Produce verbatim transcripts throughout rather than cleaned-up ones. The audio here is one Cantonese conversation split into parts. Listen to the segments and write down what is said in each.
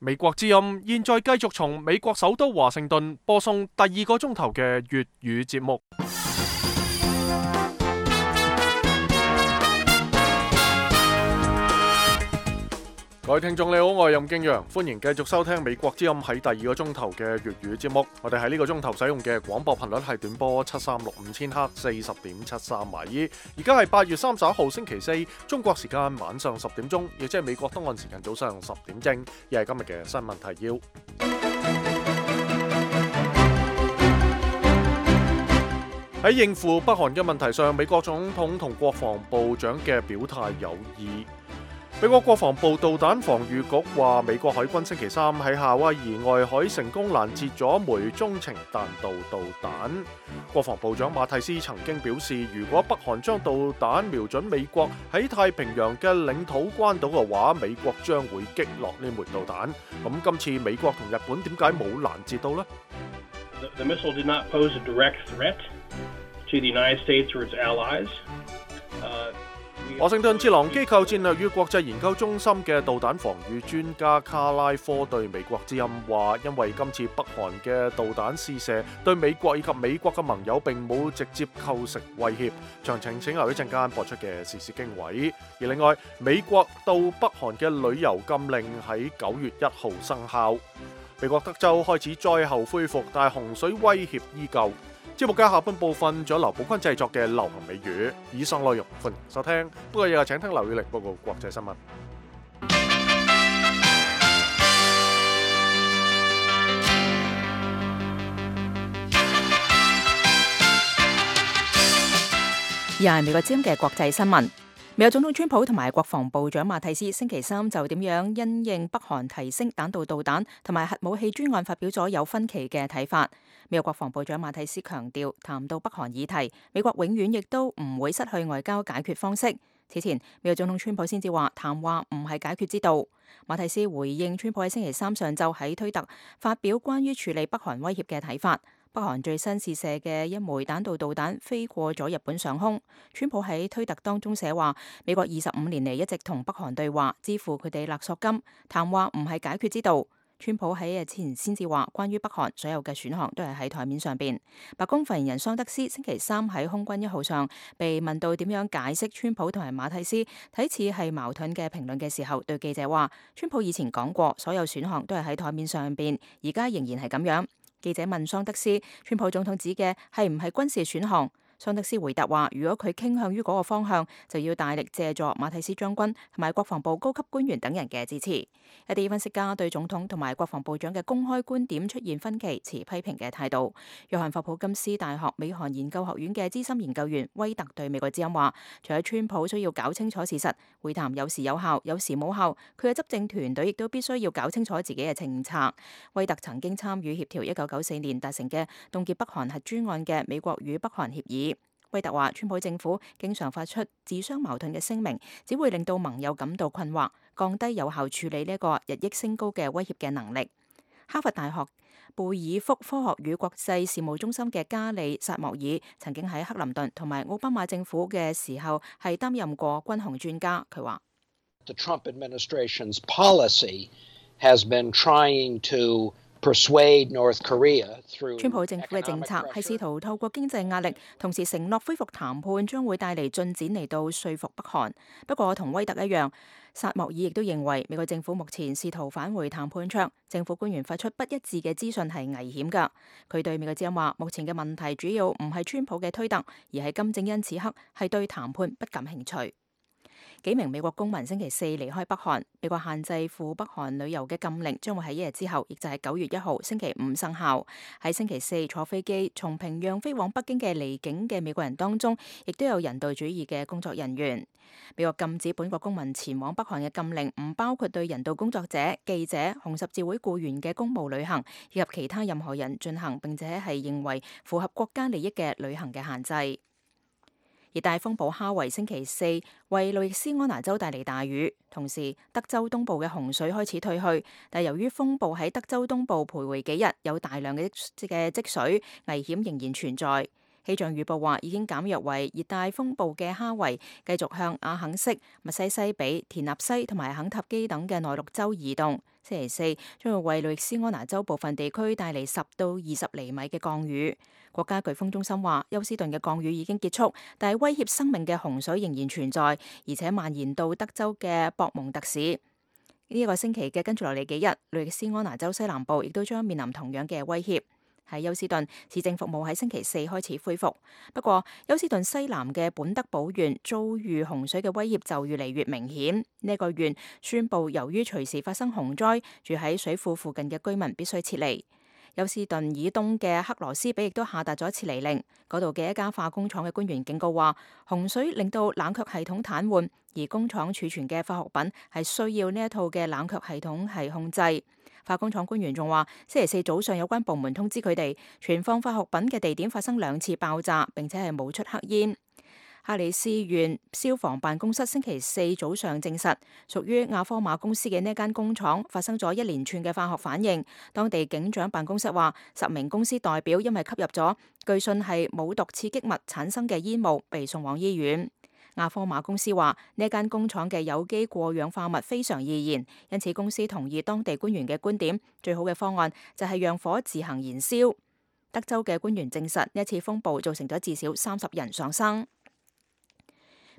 美國之音現在繼續從美國首都華盛頓播送第二個鐘頭嘅粵語節目。各位聽眾你好，我係任敬陽，歡迎繼續收聽美國之音喺第二個鐘頭嘅粵語節目。我哋喺呢個鐘頭使用嘅廣播頻率係短波七三六五千赫四十點七三米。而家係八月三十一號星期四，中國時間晚上十點鐘，亦即係美國東岸時間早上十點正。亦係今日嘅新聞提要。喺應付北韓嘅問題上，美國總統同國防部長嘅表態有異。美國國防部導彈防禦局話，美國海軍星期三喺夏威夷外海成功攔截咗枚中程彈道導彈。國防部長馬蒂斯曾經表示，如果北韓將導彈瞄準美國喺太平洋嘅領土關島嘅話，美國將會擊落呢枚導彈。咁今次美國同日本點解冇攔截到呢？ The missile did not pose a direct threat to the United States or its allies. Uh, 華盛頓智囊機構戰略與國際研究中心嘅導彈防禦專家卡拉科對美國之音話，因為今次北韓嘅導彈試射對美國以及美國嘅盟友並冇直接構成威脅。詳情請留一陣間播出嘅時事經緯。而另外，美國到北韓嘅旅遊禁令喺九月一號生效。美國德州開始災後恢復，但洪水威脅依舊。節目嘅下半部分仲有劉寶坤製作嘅流行美語，以上內容歡迎收聽。不過又係請聽劉宇力報告國際新聞。又係美國之音嘅國際新聞。美國總統川普同埋國防部長馬蒂斯星期三就點樣因應北韓提升彈道導彈同埋核武器專案發表咗有分歧嘅睇法。美國國防部長馬蒂斯強調，談到北韓議題，美國永遠亦都唔會失去外交解決方式。此前，美國總統川普先至話談話唔係解決之道。馬蒂斯回應川普喺星期三上晝喺推特發表關於處理北韓威脅嘅睇法。北韓最新試射嘅一枚彈道導彈飛過咗日本上空。川普喺推特當中寫話，美國二十五年嚟一直同北韓對話，支付佢哋勒索金，談話唔係解決之道。川普喺日前先至話，關於北韓所有嘅選項都係喺台面上邊。白宮發言人桑德斯星期三喺空軍一號上被問到點樣解釋川普同埋馬蒂斯睇似係矛盾嘅評論嘅時候，對記者話，川普以前講過所有選項都係喺台面上邊，而家仍然係咁樣。記者問桑德斯，川普總統指嘅係唔係軍事選項？桑德斯回答話，如果佢傾向於嗰個方向，就要大力借助馬蒂斯將軍同埋國防部高級官員等人嘅支持。一啲分析家對總統同埋國防部長嘅公開觀點出現分歧，持批評嘅態度。約翰霍普金斯大學美韓研究學院嘅資深研究員威特對美國之音話，除咗川普需要搞清楚事實，會談有時有效，有時冇效，佢嘅執政團隊亦都必須要搞清楚自己嘅政策。威特曾經參與協調一九九四年達成嘅凍結北韓核專案嘅美國與北韓協議。威特話，川普政府經常發出自相矛盾嘅聲明，只會令到盟友感到困惑，降低有效處理呢一個日益升高嘅威脅嘅能力。哈佛大學貝爾福科學與國際事務中心嘅加里薩莫爾曾經喺克林頓同埋奧巴馬政府嘅時候係擔任過軍控專家，佢話The Trump administration's policy has been trying to persuade North Korea through 川普政府嘅政策係試圖透過經濟壓力，同時承諾恢復談判將會帶嚟進展嚟到說服北韓。不過同威特一樣，薩莫爾亦都認為美國政府目前試圖返回談判桌，政府官員發出不一致嘅資訊係危險㗎。佢對美國之音話，目前嘅問題主要唔係川普嘅推特，而係金正恩此刻係對談判不感興趣。幾名美國公民星期四離開北韓，美國限制赴北韓旅遊嘅禁令將會喺一日之後，亦就係九月一號星期五生效。喺星期四坐飛機從平壤飛往北京嘅離境嘅美國人當中，亦都有人道主義嘅工作人員。美國禁止本國公民前往北韓嘅禁令唔包括對人道工作者、記者、紅十字會僱員嘅公務旅行，以及其他任何人進行並且係認為符合國家利益嘅旅行嘅限制。熱帶風暴哈維星期四為路易斯安那州帶嚟大雨，同時德州東部嘅洪水開始退去，但由於風暴喺德州東部徘徊幾日，有大量嘅嘅積水，危險仍然存在。氣象預報話已經減弱為熱帶風暴嘅哈維繼續向阿肯色、密西西比、田納西同埋肯塔基等嘅內陸州移動。星期四將會為路易斯安那州部分地區帶嚟十到二十厘米嘅降雨。國家颶風中心話，休斯頓嘅降雨已經結束，但係威脅生命嘅洪水仍然存在，而且蔓延到德州嘅博蒙特市。呢、這、一個星期嘅跟住落嚟幾日，路易斯安那州西南部亦都將面臨同樣嘅威脅。喺休斯頓，市政服務喺星期四開始恢復，不過休斯頓西南嘅本德堡縣遭遇洪水嘅威脅就越嚟越明顯。呢、這個縣宣布，由於隨時發生洪災，住喺水庫附近嘅居民必須撤離。休斯頓以東嘅克羅斯比亦都下達咗撤離令，嗰度嘅一家化工廠嘅官員警告話，洪水令到冷卻系統癱瘓，而工廠儲存嘅化學品係需要呢一套嘅冷卻系統係控制。化工廠官員仲話，星期四早上有關部門通知佢哋，存放化學品嘅地點發生兩次爆炸，並且係冒出黑煙。哈里斯縣消防辦公室星期四早上證實，屬於亞科馬公司嘅呢間工廠發生咗一連串嘅化學反應。當地警長辦公室話，十名公司代表因為吸入咗據信係冇毒刺激物產生嘅煙霧，被送往醫院。亞科馬公司話，呢間工廠嘅有機過氧化物非常易燃，因此公司同意當地官員嘅觀點，最好嘅方案就係讓火自行燃燒。德州嘅官員證實，呢一次風暴造成咗至少三十人喪生。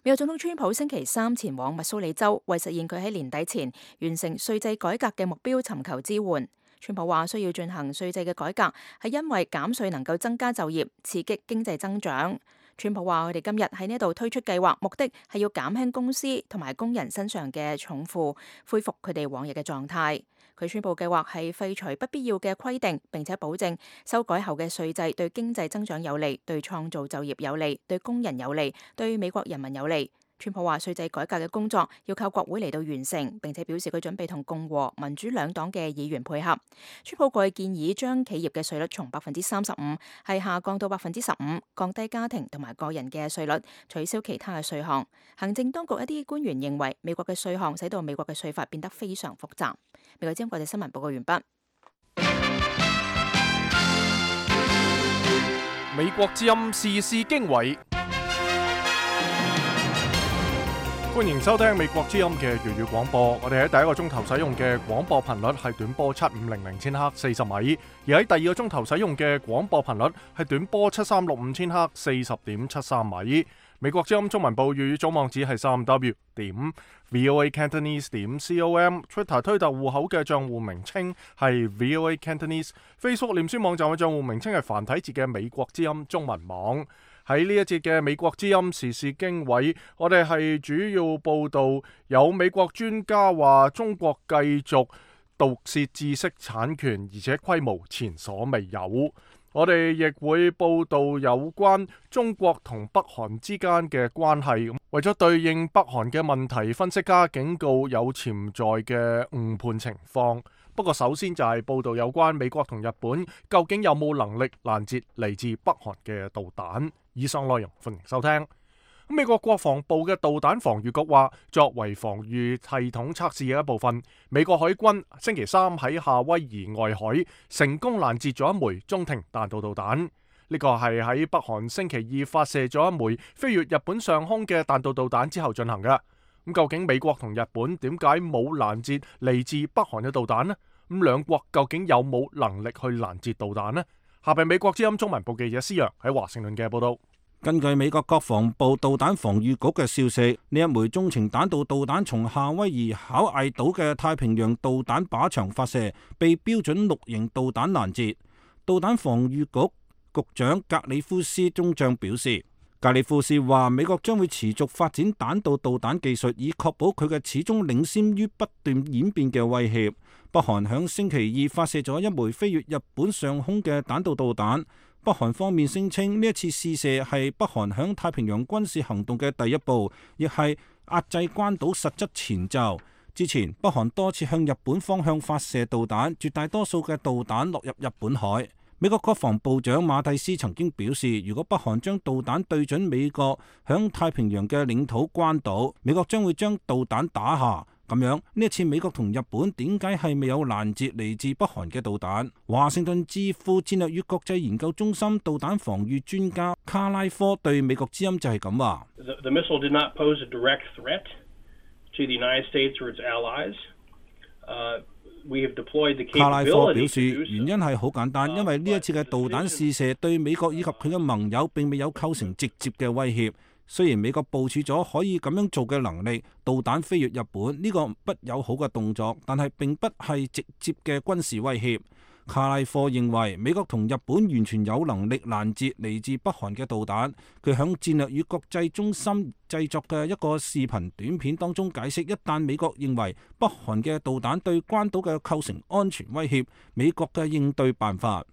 美國總統川普星期三前往密蘇里州，為實現佢喺年底前完成稅制改革嘅目標尋求支援。川普話需要進行稅制嘅改革，係因為減稅能夠增加就業，刺激經濟增長。川普話：佢哋今日喺呢度推出計劃，目的係要減輕公司同埋工人身上嘅重負，恢復佢哋往日嘅狀態。佢宣布計劃係廢除不必要嘅規定，並且保證修改後嘅稅制對經濟增長有利，對創造就業有利，對工人有利，對美國人民有利。川普話稅制改革嘅工作要靠國會嚟到完成，並且表示佢準備同共和、民主兩黨嘅議員配合。川普過去建議將企業嘅稅率從百分之三十五係下降到百分之十五，降低家庭同埋個人嘅稅率，取消其他嘅稅項。行政當局一啲官員認為美國嘅稅項使到美國嘅稅法變得非常複雜。美國之音國際新聞報告完畢。美國之音時事經緯。歡迎收聽美國之音嘅粵語廣播。我哋喺第一個鐘頭使用嘅廣播頻率係短波七五零零千赫四十米，而喺第二個鐘頭使用嘅廣播頻率係短波七三六五千赫四十點七三米。美國之音中文部粵語總網址係三 w 點 voa cantonese 點 com，Twitter 推特戶口嘅賬戶名稱係 voa cantonese，Facebook 臉書網站嘅賬戶名稱係繁體字嘅美國之音中文網。喺呢一節嘅美國之音時事經緯，我哋係主要報道有美國專家話中國繼續盜竊知識產權，而且規模前所未有。我哋亦會報道有關中國同北韓之間嘅關係。為咗對應北韓嘅問題，分析家警告有潛在嘅誤判情況。不過首先就係報道有關美國同日本究竟有冇能力攔截嚟自北韓嘅導彈。以上內容歡迎收聽。美國國防部嘅導彈防禦局話，作為防禦系統測試嘅一部分，美國海軍星期三喺夏威夷外海成功攔截咗一枚中程彈道導彈。呢個係喺北韓星期二發射咗一枚飛越日本上空嘅彈道導彈之後進行嘅。咁究竟美國同日本點解冇攔截嚟自北韓嘅導彈呢？咁兩國究竟有冇能力去攔截導彈呢？下邊美國之音中文部記者施洋喺華盛頓嘅報道。根據美國國防部導彈防禦局嘅消息，呢一枚中程彈道導彈從夏威夷考艾島嘅太平洋導彈靶場發射，被標準六型導彈攔截。導彈防禦局局長格里夫斯中將表示，格里夫斯話美國將會持續發展彈道導彈技術，以確保佢嘅始終領先於不斷演變嘅威脅。北韓響星期二發射咗一枚飛越日本上空嘅彈道導彈。北韓方面聲稱呢一次試射係北韓響太平洋軍事行動嘅第一步，亦係壓制關島實質前奏。之前北韓多次向日本方向發射導彈，絕大多數嘅導彈落入日本海。美國國防部長馬蒂斯曾經表示，如果北韓將導彈對準美國響太平洋嘅領土關島，美國將會將導彈打下。咁樣呢一次美國同日本點解係未有攔截嚟自北韓嘅導彈？華盛頓智庫戰略與國際研究中心導彈防禦專家卡拉科對美國之音就係咁話。The, the missile did not pose a direct threat to the United States or its allies. Uh, we have deployed the capability to do so. 卡拉科表示，原因係好簡單，因為呢一次嘅導彈試射對美國以及佢嘅盟友並未有構成直接嘅威脅。雖然美國部署咗可以咁樣做嘅能力，導彈飛越日本呢個不友好嘅動作，但係並不係直接嘅軍事威脅。卡拉科認為美國同日本完全有能力攔截嚟自北韓嘅導彈。佢響戰略與國際中心製作嘅一個視頻短片當中解釋，一旦美國認為北韓嘅導彈對關島嘅構成安全威脅，美國嘅應對辦法。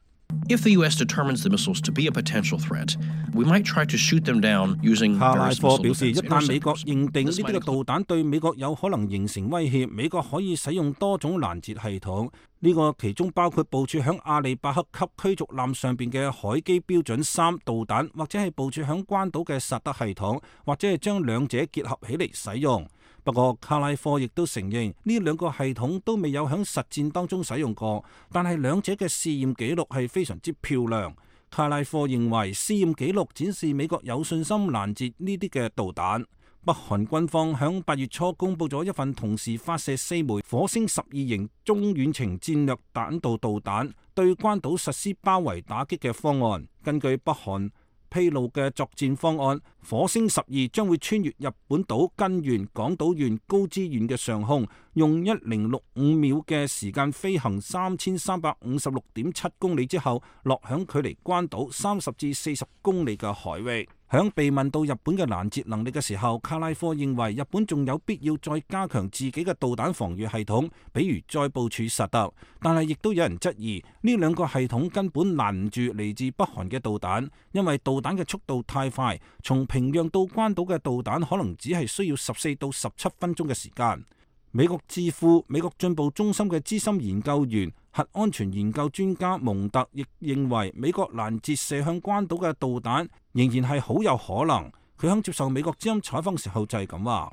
If the U S determines the missiles to be a potential threat, we might try to shoot them down using 卡拉 various 科 missile 表示， defense 一旦美國 interceptors. 認定呢啲嘅導彈對美國有可能形成威脅，美國可以使用多種攔截系統。呢個其中包括部署響阿里伯克級驅逐艦上邊嘅海基標準三導彈，或者係部署響關島嘅薩德系統，或者係將兩者結合起嚟使用。不過卡拉科亦都承認呢兩個系統都未有響實戰當中使用過，但係兩者嘅試驗記錄係非常之漂亮。卡拉科認為試驗記錄展示美國有信心攔截呢啲嘅導彈。北韓軍方響八月初公佈咗一份同時發射四枚火星十二型中遠程戰略彈道導彈，對關島實施包圍打擊嘅方案。根據北韓披露嘅作戰方案，火星十二將會穿越日本島根縣、廣島縣、高知縣嘅上空，用一零六五秒嘅時間飛行三千三百五十六點七公里之後，落響距離關島三十至四十公里嘅海域。響被問到日本嘅攔截能力嘅時候，卡拉科認為日本仲有必要再加強自己嘅導彈防禦系統，比如再部署薩德。但係亦都有人質疑呢兩個系統根本攔唔住嚟自北韓嘅導彈，因為導彈嘅速度太快，從平壤到關島嘅導彈可能只係需要十四到十七分鐘嘅時間。美國智庫美國進步中心嘅資深研究員、核安全研究專家蒙特亦認為，美國攔截射向關島嘅導彈仍然係好有可能。佢響接受美國之音採訪時候就係咁話。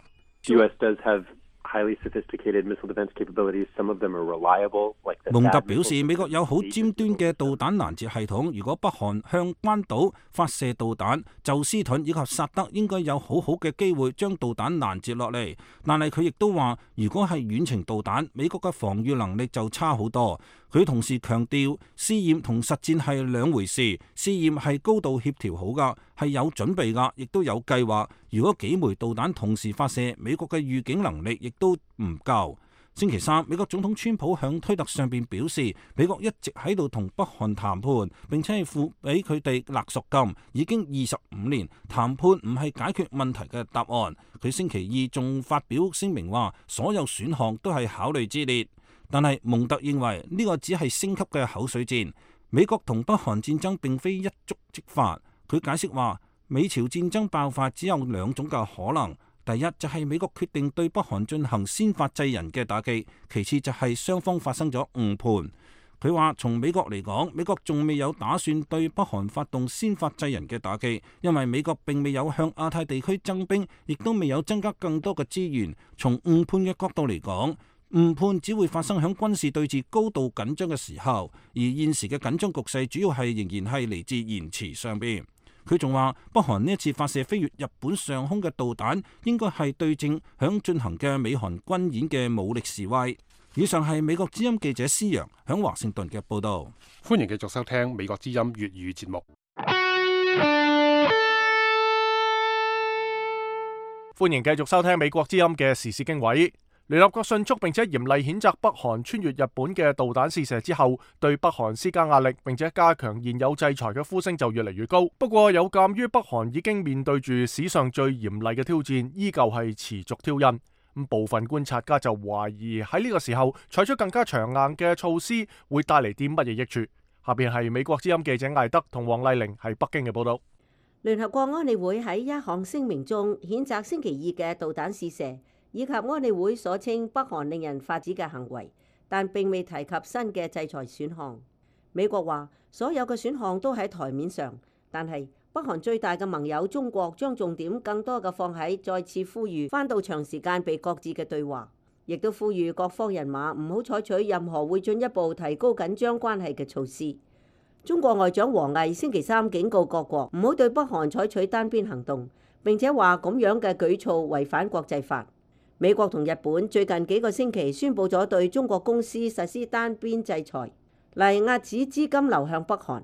蒙特表示，美國有好尖端嘅導彈攔截系統。如果北韓向關島發射導彈，宙斯盾以及薩德應該有好好嘅機會將導彈攔截落嚟。但係佢亦都話，如果係遠程導彈，美國嘅防禦能力就差好多。佢同時強調，試驗同實戰係兩回事。試驗係高度協調好㗎，係有準備㗎，亦都有計劃。如果幾枚導彈同時發射，美國嘅預警能力亦都唔夠。星期三，美國總統川普響推特上邊表示，美國一直喺度同北韓談判，並且係付俾佢哋勒索金，已經二十五年。談判唔係解決問題嘅答案。佢星期二仲發表聲明話，所有選項都係考慮之列。但係蒙特認為呢個只係升級嘅口水戰。美國同北韓戰爭並非一觸即發。佢解釋話，美朝戰爭爆發只有兩種嘅可能。第一就係美國決定對北韓進行先發制人嘅打擊，其次就係雙方發生咗誤判。佢話從美國嚟講，美國仲未有打算對北韓發動先發制人嘅打擊，因為美國並未有向亞太地區增兵，亦都未有增加更多嘅資源。從誤判嘅角度嚟講，誤判只會發生喺軍事對峙高度緊張嘅時候，而現時嘅緊張局勢主要係仍然係嚟自言辭上邊。佢仲話，北韓呢一次發射飛越日本上空嘅導彈，應該係對正響進行嘅美韓軍演嘅武力示威。以上係美國之音記者施洋響華盛頓嘅報導。歡迎繼續收聽美國之音粵語節目。歡迎繼續收聽美國之音嘅時事經緯。聯合國迅速並且嚴厲譴責北韓穿越日本嘅導彈試射之後，對北韓施加壓力並且加強現有制裁嘅呼聲就越嚟越高。不過有鑑於北韓已經面對住史上最嚴厲嘅挑戰，依舊係持續挑釁。咁部分觀察家就懷疑喺呢個時候採取更加強硬嘅措施會帶嚟啲乜嘢益處。下邊係美國之音記者艾德同黃麗玲喺北京嘅報道。聯合國安理會喺一項聲明中譴責星期二嘅導彈試射，以及安理會所稱北韓令人髮指嘅行為，但並未提及新嘅制裁選項。美國話所有嘅選項都喺台面上，但係北韓最大嘅盟友中國將重點更多嘅放喺再次呼籲返到長時間被擱置嘅對話。亦都呼籲各方人馬唔好採取任何會進一步提高緊張關係嘅措施。中國外長王毅星期三警告各國唔好對北韓採取單邊行動，並且話咁樣嘅舉措違反國際法。美國同日本最近幾個星期宣布咗對中國公司實施單邊制裁，嚟遏止資金流向北韓。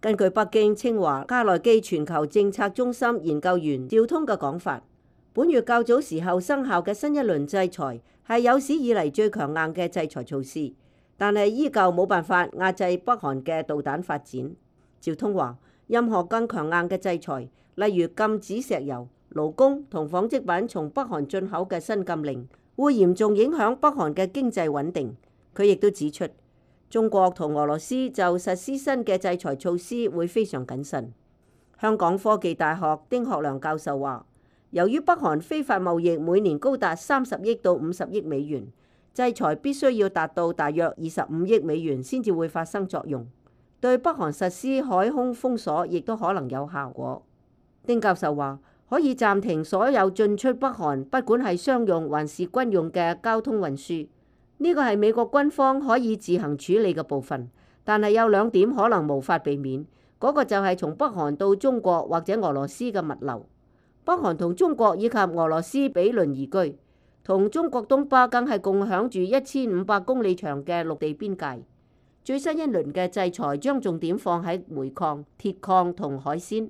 根據北京清華加內基全球政策中心研究員趙通嘅講法，本月較早時候生效嘅新一輪制裁係有史以嚟最強硬嘅制裁措施，但係依舊冇辦法壓制北韓嘅導彈發展。趙通話，任何更強硬嘅制裁，例如禁止石油、勞工同紡織品從北韓進口嘅新禁令，會嚴重影響北韓嘅經濟穩定。佢亦都指出，中國同俄羅斯就實施新嘅制裁措施會非常謹慎。香港科技大學丁學良教授話，由於北韓非法貿易每年高達三十億到五十億美元，制裁必須要達到大約二十五億美元先至會發生作用。對北韓實施海空封鎖亦都可能有效果。丁教授話，可以暫停所有進出北韓，不管係商用還是軍用嘅交通運輸。呢個係美國軍方可以自行處理嘅部分，但係有兩點可能無法避免，嗰個就係從北韓到中國或者俄羅斯嘅物流。北韓同中國以及俄羅斯比鄰而居，同中國東北更係共享住一千五百公里長嘅陸地邊界。最新一輪嘅制裁將重點放喺煤礦、鐵礦同海鮮。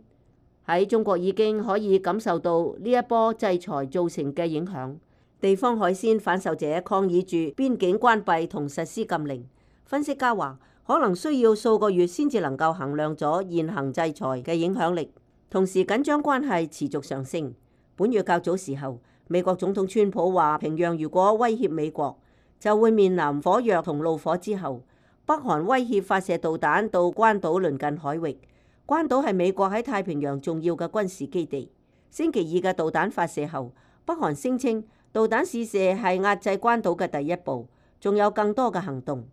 喺中國已經可以感受到呢一波制裁造成嘅影響。地方海鮮販售者抗議住邊境關閉同實施禁令。分析家話，可能需要數個月先至能夠衡量咗現行制裁嘅影響力。同時緊張關係持續上升。本月較早時候，美國總統川普話，平壤如果威脅美國，就會面臨火藥同怒火之後。北韓威脅發射導彈到關島鄰近海域。關島係美國喺太平洋重要嘅軍事基地。星期二嘅導彈發射後，北韓聲稱導彈試射係壓制關島嘅第一步，仲有更多嘅行動。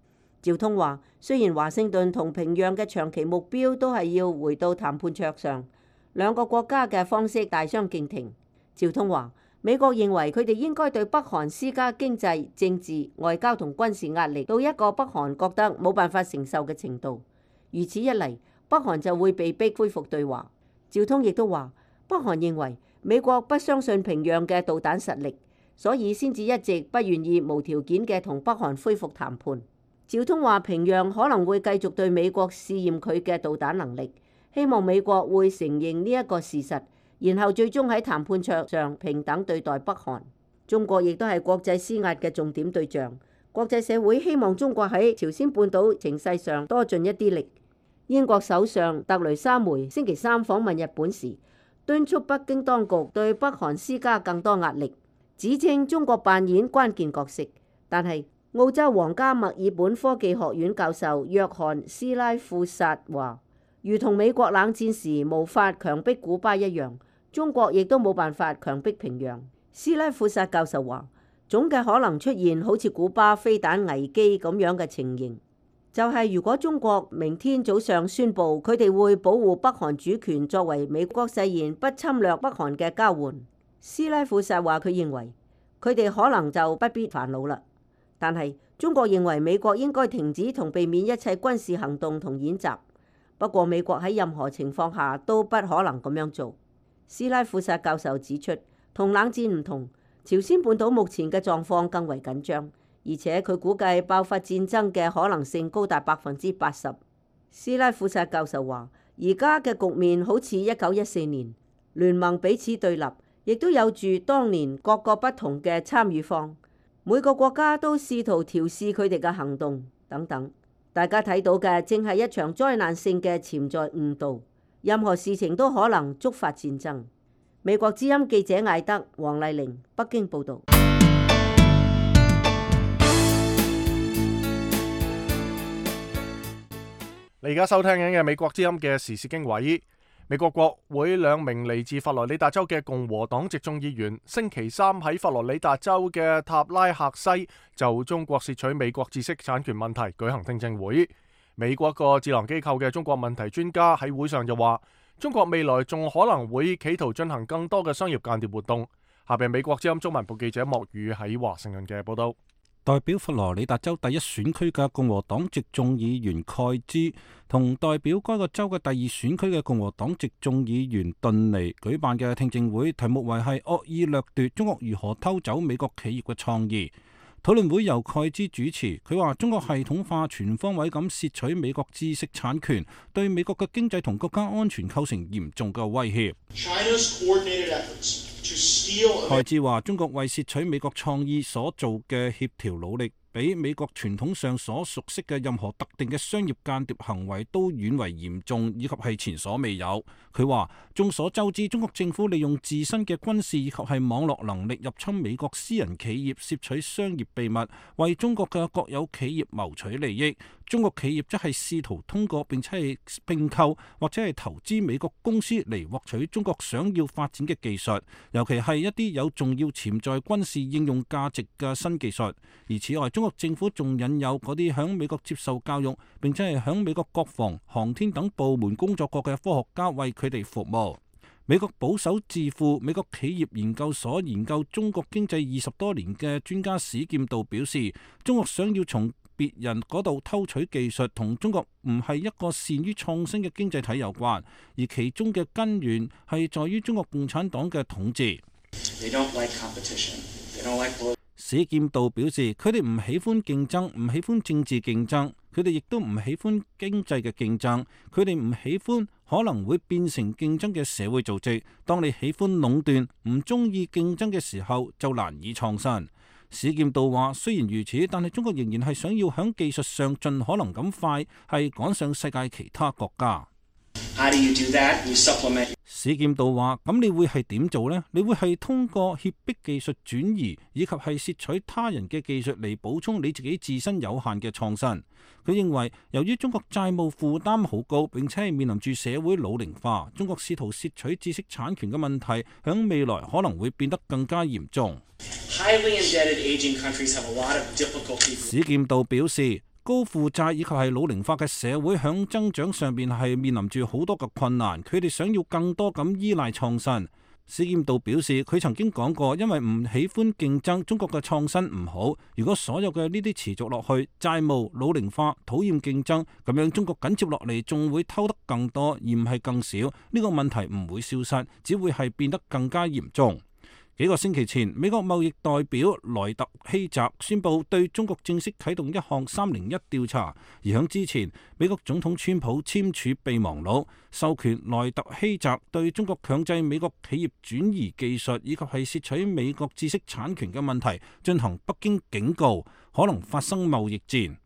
趙通話，雖然華盛頓同平壤嘅長期目標都係要回到談判桌上，兩個國家嘅方式大相徑庭。趙通話，美國認為佢哋應該對北韓施加經濟、政治、外交同軍事壓力到一個北韓覺得冇辦法承受嘅程度。如此一嚟，北韓就會被逼恢復對話。趙通亦都話，北韓認為美國不相信平壤嘅導彈實力，所以先至一直不願意無條件嘅同北韓恢復談判。趙通話，平壤可能會繼續對美國試驗佢嘅導彈能力，希望美國會承認呢一個事實，然後最終喺談判桌上平等對待北韓。中國亦都係國際施壓嘅重點對象，國際社會希望中國喺朝鮮半島情勢上多盡一啲力。英國首相特雷莎梅星期三訪問日本時，敦促北京當局對北韓施加更多壓力，指稱中國扮演關鍵角色。但係澳洲皇家墨爾本科技學院教授約翰斯拉富薩話，如同美國冷戰時無法強迫古巴一樣，中國亦都冇辦法強迫平壤。斯拉富薩教授話，總嘅可能出現好似古巴飛彈危機咁樣嘅情形，就係如果中國明天早上宣布佢哋會保護北韓主權作為美國誓言不侵略北韓嘅交換。斯拉富薩話，佢認為佢哋可能就不必煩惱啦。但係中國認為美國應該停止同避免一切軍事行動同演習。不過美國喺任何情況下都不可能咁樣做。斯拉富薩教授指出，同冷戰唔同，朝鮮半島目前嘅狀況更為緊張，而且佢估計爆發戰爭嘅可能性高達百分之八十。斯拉富薩教授話，而家嘅局面好似一九一四年，聯盟彼此對立，亦都有住當年各個不同嘅參與方。每個國家都試圖調試佢哋嘅行動等等，大家睇到嘅正係一場災難性嘅潛在誤導，任何事情都可能觸發戰爭。美國之音記者艾德、黃麗玲，北京報導。你而家收聽緊嘅美國之音嘅時事經緯。美國國會兩名嚟自佛羅里達州嘅共和黨籍眾議員星期三喺佛羅里達州嘅塔拉克西就中國竊取美國知識產權問題舉行聽證會。美國個智囊機構嘅中國問題專家喺會上就話，中國未來仲可能會企圖進行更多嘅商業間諜活動，下邊美國之音中文部記者莫宇喺華盛頓嘅報道。代表佛羅里達州第一選區嘅共和黨籍眾議員蓋茲同代表該個州嘅第二選區嘅共和黨籍眾議員頓尼舉辦嘅聽證會，題目為係惡意掠奪中國如何偷走美國企業嘅創意。討論會由蓋茲主持，佢話中國系統化全方位咁竊取美國知識產權，對美國嘅經濟同國家安全構成嚴重嘅威脅。蓋茲話中國為竊取美國創意所做嘅協調努力，比美國傳統上所熟悉嘅任何特定嘅商業間諜行為都遠為嚴重，以及係前所未有。佢話眾所周知，中國政府利用自身嘅軍事以及係網絡能力入侵美國私人企業，竊取商業秘密，為中國嘅國有企業謀取利益。中國企業則係試圖通過並且係併購或者係投資美國公司嚟獲取中國想要發展嘅技術，尤其係一啲有重要潛在軍事應用價值嘅新技術。而此外，中國政府仲引誘嗰啲響美國接受教育並且係響美國國防、航天等部門工作過嘅科學家為佢哋服務。美國保守智庫美國企業研究所研究中國經濟二十多年嘅專家史劍道表示，中國想要從別人嗰度偷取技術，同中國唔係一個善於創新嘅經濟體有關，而其中嘅根源係在於中國共產黨嘅統治。史劍道表示，佢哋唔喜歡競爭，唔喜歡政治競爭，佢哋亦都唔喜歡經濟嘅競爭，佢哋唔喜歡可能會變成競爭嘅社會組織。當你喜歡壟斷，唔中意競爭嘅時候，就難以創新。史劍道話：雖然如此，但係中國仍然係想要喺技術上盡可能咁快，係趕上世界其他國家。史劍道話：咁你會係點做呢？你會係通過脅迫技術轉移，以及係竊取他人嘅技術嚟補充你自己自身有限嘅創新。佢認為，由於中國債務負擔好高，並且係面臨住社會老齡化，中國試圖竊取知識產權嘅問題，響未來可能會變得更加嚴重。史劍道表示，高負債以及係老齡化嘅社會響增長上邊係面臨住好多嘅困難，佢哋想要更多咁依賴創新。史劍道表示，佢曾經講過，因為唔喜歡競爭，中國嘅創新唔好。如果所有嘅呢啲持續落去，債務、老齡化、討厭競爭，咁樣中國緊接落嚟仲會偷得更多，而唔係更少。呢個問題唔會消失，只會係變得更加嚴重。幾個星期前，美國貿易代表萊特希澤宣布對中國正式啟動一項三零一調查，而響之前，美國總統川普簽署備忘錄，授權萊特希澤對中國強制美國企業轉移技術以及係竊取美國知識產權嘅問題進行北京警告，可能發生貿易戰。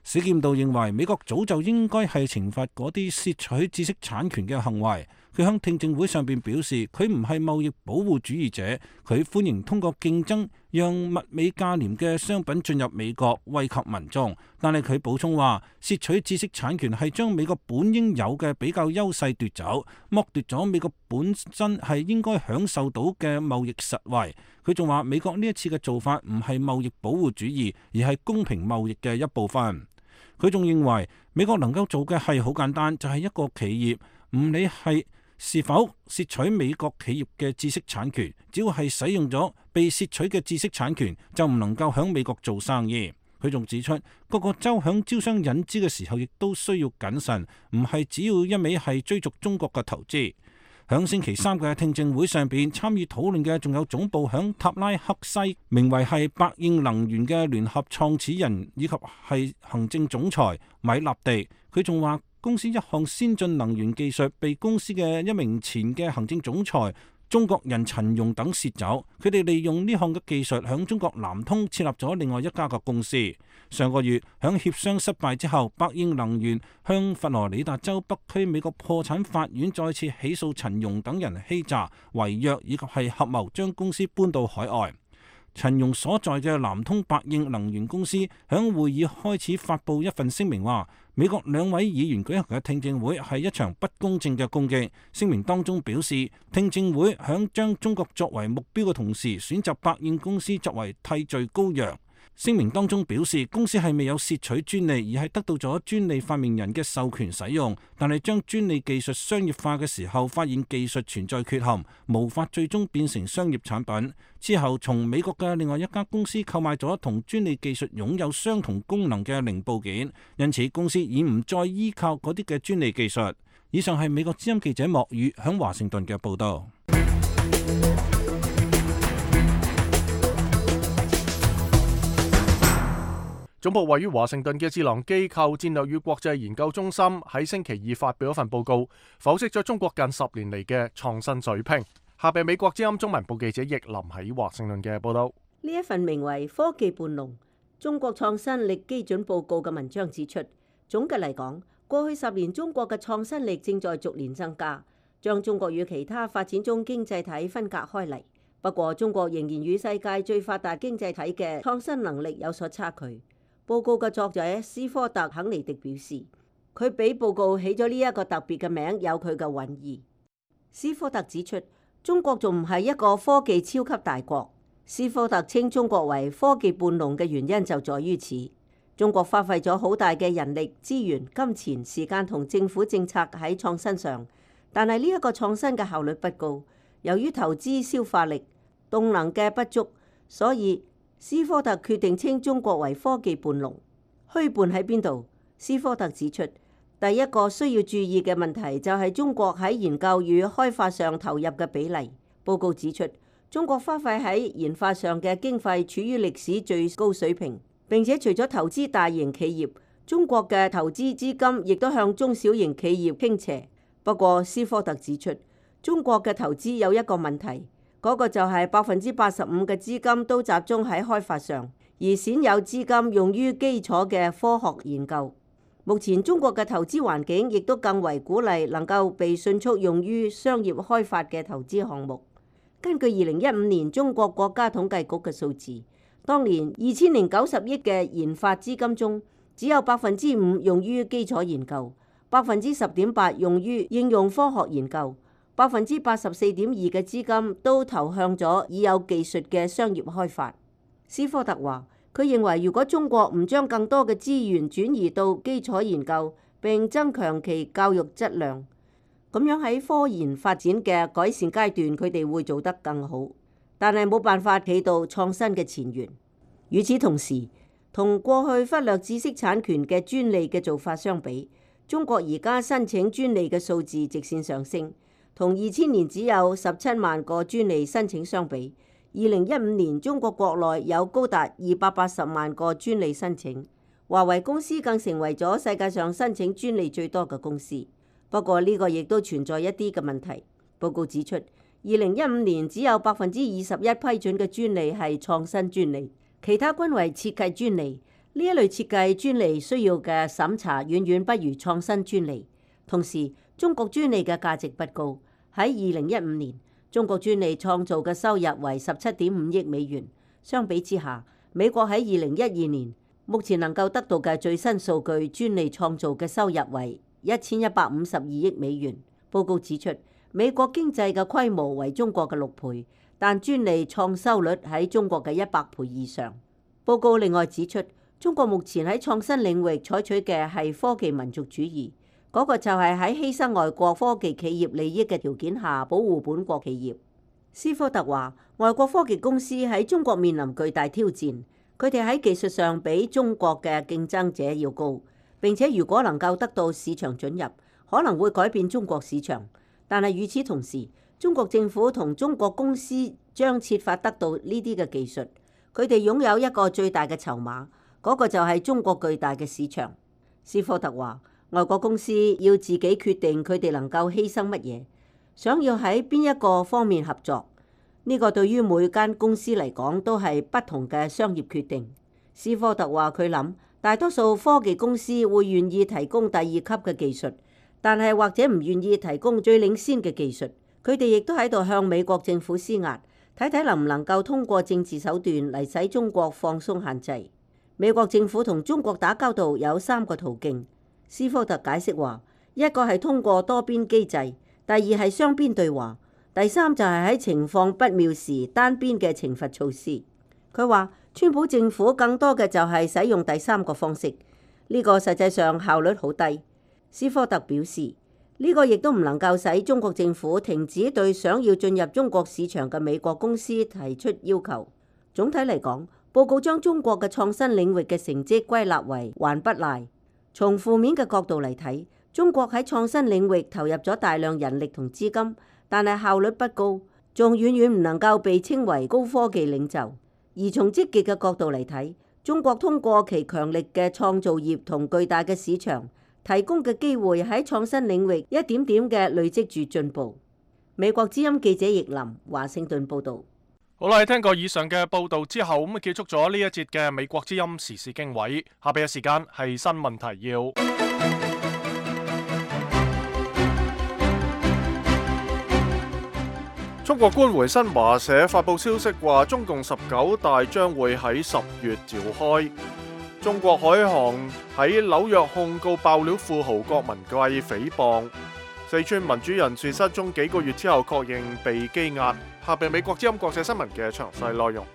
史劍道認為，美國早就應該係懲罰嗰啲竊取知識產權嘅行為。佢喺聽證會上邊表示，佢唔係貿易保護主義者，佢歡迎通過競爭讓物美價廉嘅商品進入美國，惠及民眾。但係佢補充話，竊取知識產權係將美國本應有嘅比較優勢奪走，剝奪咗美國本身係應該享受到嘅貿易實惠。佢仲話，美國呢一次嘅做法唔係貿易保護主義，而係公平貿易嘅一部分。佢仲認為，美國能夠做嘅係好簡單，就係一個企業唔理係是否竊取美國企業嘅知識產權，只要係使用咗被竊取嘅知識產權，就唔能夠響美國做生意。佢仲指出，各個州響招商引資嘅時候，亦都需要謹慎，唔係只要一味係追逐中國嘅投資。響星期三嘅聽證會上邊，參與討論嘅仲有總部響塔拉克西，名為係百應能源嘅聯合創始人以及係行政總裁米納地。佢仲話，公司一項先進能源技術被公司嘅一名前嘅行政總裁中國人陳容等竊走，佢哋利用呢項嘅技術響中國南通設立咗另外一家嘅公司。上個月響協商失敗之後，百應能源向佛羅里達州北區美國破產法院再次起訴陳容等人欺詐、違約以及係合謀將公司搬到海外。陳容所在嘅南通百應能源公司響會議開始發布一份聲明，話美國兩位議員舉行嘅聽證會係一場不公正嘅攻擊。聲明當中表示，聽證會響將中國作為目標嘅同時，選擇百應公司作為替罪羔羊。聲明當中表示，公司係未有竊取專利，而係得到咗專利發明人嘅授權使用，但係將專利技術商業化嘅時候，發現技術存在缺陷，無法最終變成商業產品。之後，從美國嘅另外一家公司購買咗同專利技術擁有相同功能嘅零部件，因此公司已唔再依靠嗰啲嘅專利技術。以上係美國之音記者莫宇響華盛頓嘅報道。總部位於華盛頓嘅智囊機構戰略與國際研究中心喺星期二發表一份報告，剖析咗中國近十年嚟嘅創新水平。下邊美國之音中文部記者奕林喺華盛頓嘅報道。呢一份名為《科技伴龍：中國創新力基準報告》嘅文章指出，總嘅嚟講，過去十年中國嘅創新力正在逐年增加，將中國與其他發展中經濟體分隔開嚟。不過，中國仍然與世界最發達經濟體嘅創新能力有所差距。報告嘅作者斯科特·肯尼迪表示，佢俾報告起咗呢一個特別嘅名，有佢嘅韻意。斯科特指出，中國仲唔係一個科技超級大國。斯科特稱中國為科技伴龍嘅原因就在於此。中國花費咗好大嘅人力、資源、金錢、時間同政府政策喺創新上，但係呢一個創新嘅效率不高。由於投資消化力、動能嘅不足，所以斯科特決定稱中國為科技伴龍。虛伴喺邊度？斯科特指出，第一個需要注意嘅問題就係中國喺研究與開發上投入嘅比例。報告指出，中國花費喺研發上嘅經費處於歷史最高水平，並且除咗投資大型企業，中國嘅投資資金亦都向中小型企業傾斜。不過，斯科特指出，中國嘅投資有一個問題。嗰個就係百分之八十五嘅資金都集中喺開發上，而鮮有資金用於基礎嘅科學研究。目前中國嘅投資環境亦都更為鼓勵能夠被迅速用於商業開發嘅投資項目。根據二零一五年中國國家統計局嘅數字，當年二千零九十億嘅研發資金中，只有百分之五用於基礎研究，百分之十點八用於應用科學研究。百分之八十四點二嘅資金都投向咗已有技術嘅商業開發。斯科特話，佢認為如果中國唔將更多嘅資源轉移到基礎研究，並增強其教育質量，咁樣喺科研發展嘅改善階段，佢哋會做得更好。但係冇辦法起到創新嘅前沿。與此同時，同過去忽略知識產權嘅專利嘅做法相比，中國而家申請專利嘅數字直線上升。同二千年只有十七萬個專利申請相比，二零一五年中國國內有高達二百八十萬個專利申請。華為公司更成為咗世界上申請專利最多嘅公司。不過呢個亦都存在一啲嘅問題。報告指出，二零一五年只有百分之二十一批准嘅專利係創新專利，其他均為設計專利。呢一類設計專利需要嘅審查遠遠不如創新專利。同時，中國專利嘅價值不高。喺二零一五年，中國專利創造嘅收入為十七點五億美元。相比之下，美國喺二零一二年目前能夠得到嘅最新數據，專利創造嘅收入為一千一百五十二億美元。報告指出，美國經濟嘅規模為中國嘅六倍，但專利創收率喺中國嘅一百倍以上。報告另外指出，中國目前喺創新領域採取嘅係科技民族主義。嗰個就係喺犧牲外國科技企業利益嘅條件下保護本國企業。斯科特話，外國科技公司喺中國面臨巨大挑戰，佢哋喺技術上比中國嘅競爭者要高，並且如果能夠得到市場准入，可能會改變中國市場。但係與此同時，中國政府同中國公司將設法得到呢啲嘅技術，佢哋擁有一個最大嘅籌碼，嗰個就係中國巨大嘅市場。斯科特話，外國公司要自己決定佢哋能夠犧牲乜嘢，想要喺邊一個方面合作，呢個對於每間公司嚟講都係不同嘅商業決定。斯科特話佢諗，大多數科技公司會願意提供第二級嘅技術，但係或者唔願意提供最領先嘅技術。佢哋亦都喺度向美國政府施壓，睇睇能唔能夠通過政治手段嚟使中國放鬆限制。美國政府同中國打交道有三個途徑。斯科特解釋話，一個係通過多邊機制，第二係雙邊對話，第三就係喺情況不妙時單邊嘅懲罰措施。佢話川普政府更多嘅就係使用第三個方式，呢個實際上效率好低。斯科特表示，呢個亦都唔能夠使中國政府停止對想要進入中國市場嘅美國公司提出要求。總體嚟講，報告將中國嘅創新領域嘅成績歸納為還不賴。從負面嘅角度嚟睇，中國喺創新領域投入咗大量人力同資金，但係效率不高，仲遠遠唔能夠被稱為高科技領袖。而從積極嘅角度嚟睇，中國通過其強力嘅創造業同巨大嘅市場提供嘅機會，喺創新領域一點點嘅累積住進步。美國之音記者易林華盛頓報導。好啦，聽過以上嘅報導之後，咁啊結束咗呢一節嘅美國之音時事經緯。下邊嘅時間係新聞提要。中國官媒新華社發佈消息話，中共十九大將會喺十月召開。中國海航喺紐約控告爆料富豪郭文貴誹謗。四川民主人士失蹤幾個月之後確認被羈押。下邊美國之音國際新聞嘅詳細內容。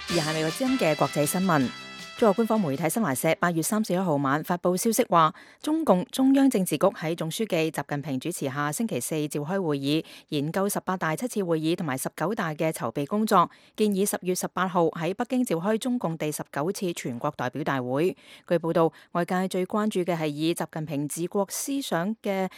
而係美國之音嘅國際新聞。中國官方媒體新華社八月三十一號晚發佈消息話，中共中央政治局喺總書記習近平主持下星期四召開會議，研究十八大七次會議同埋十九大嘅籌備工作，建議十月十八號喺北京召開中共第十九次全國代表大會。據報道，外界最關注嘅係以習近平治國思想嘅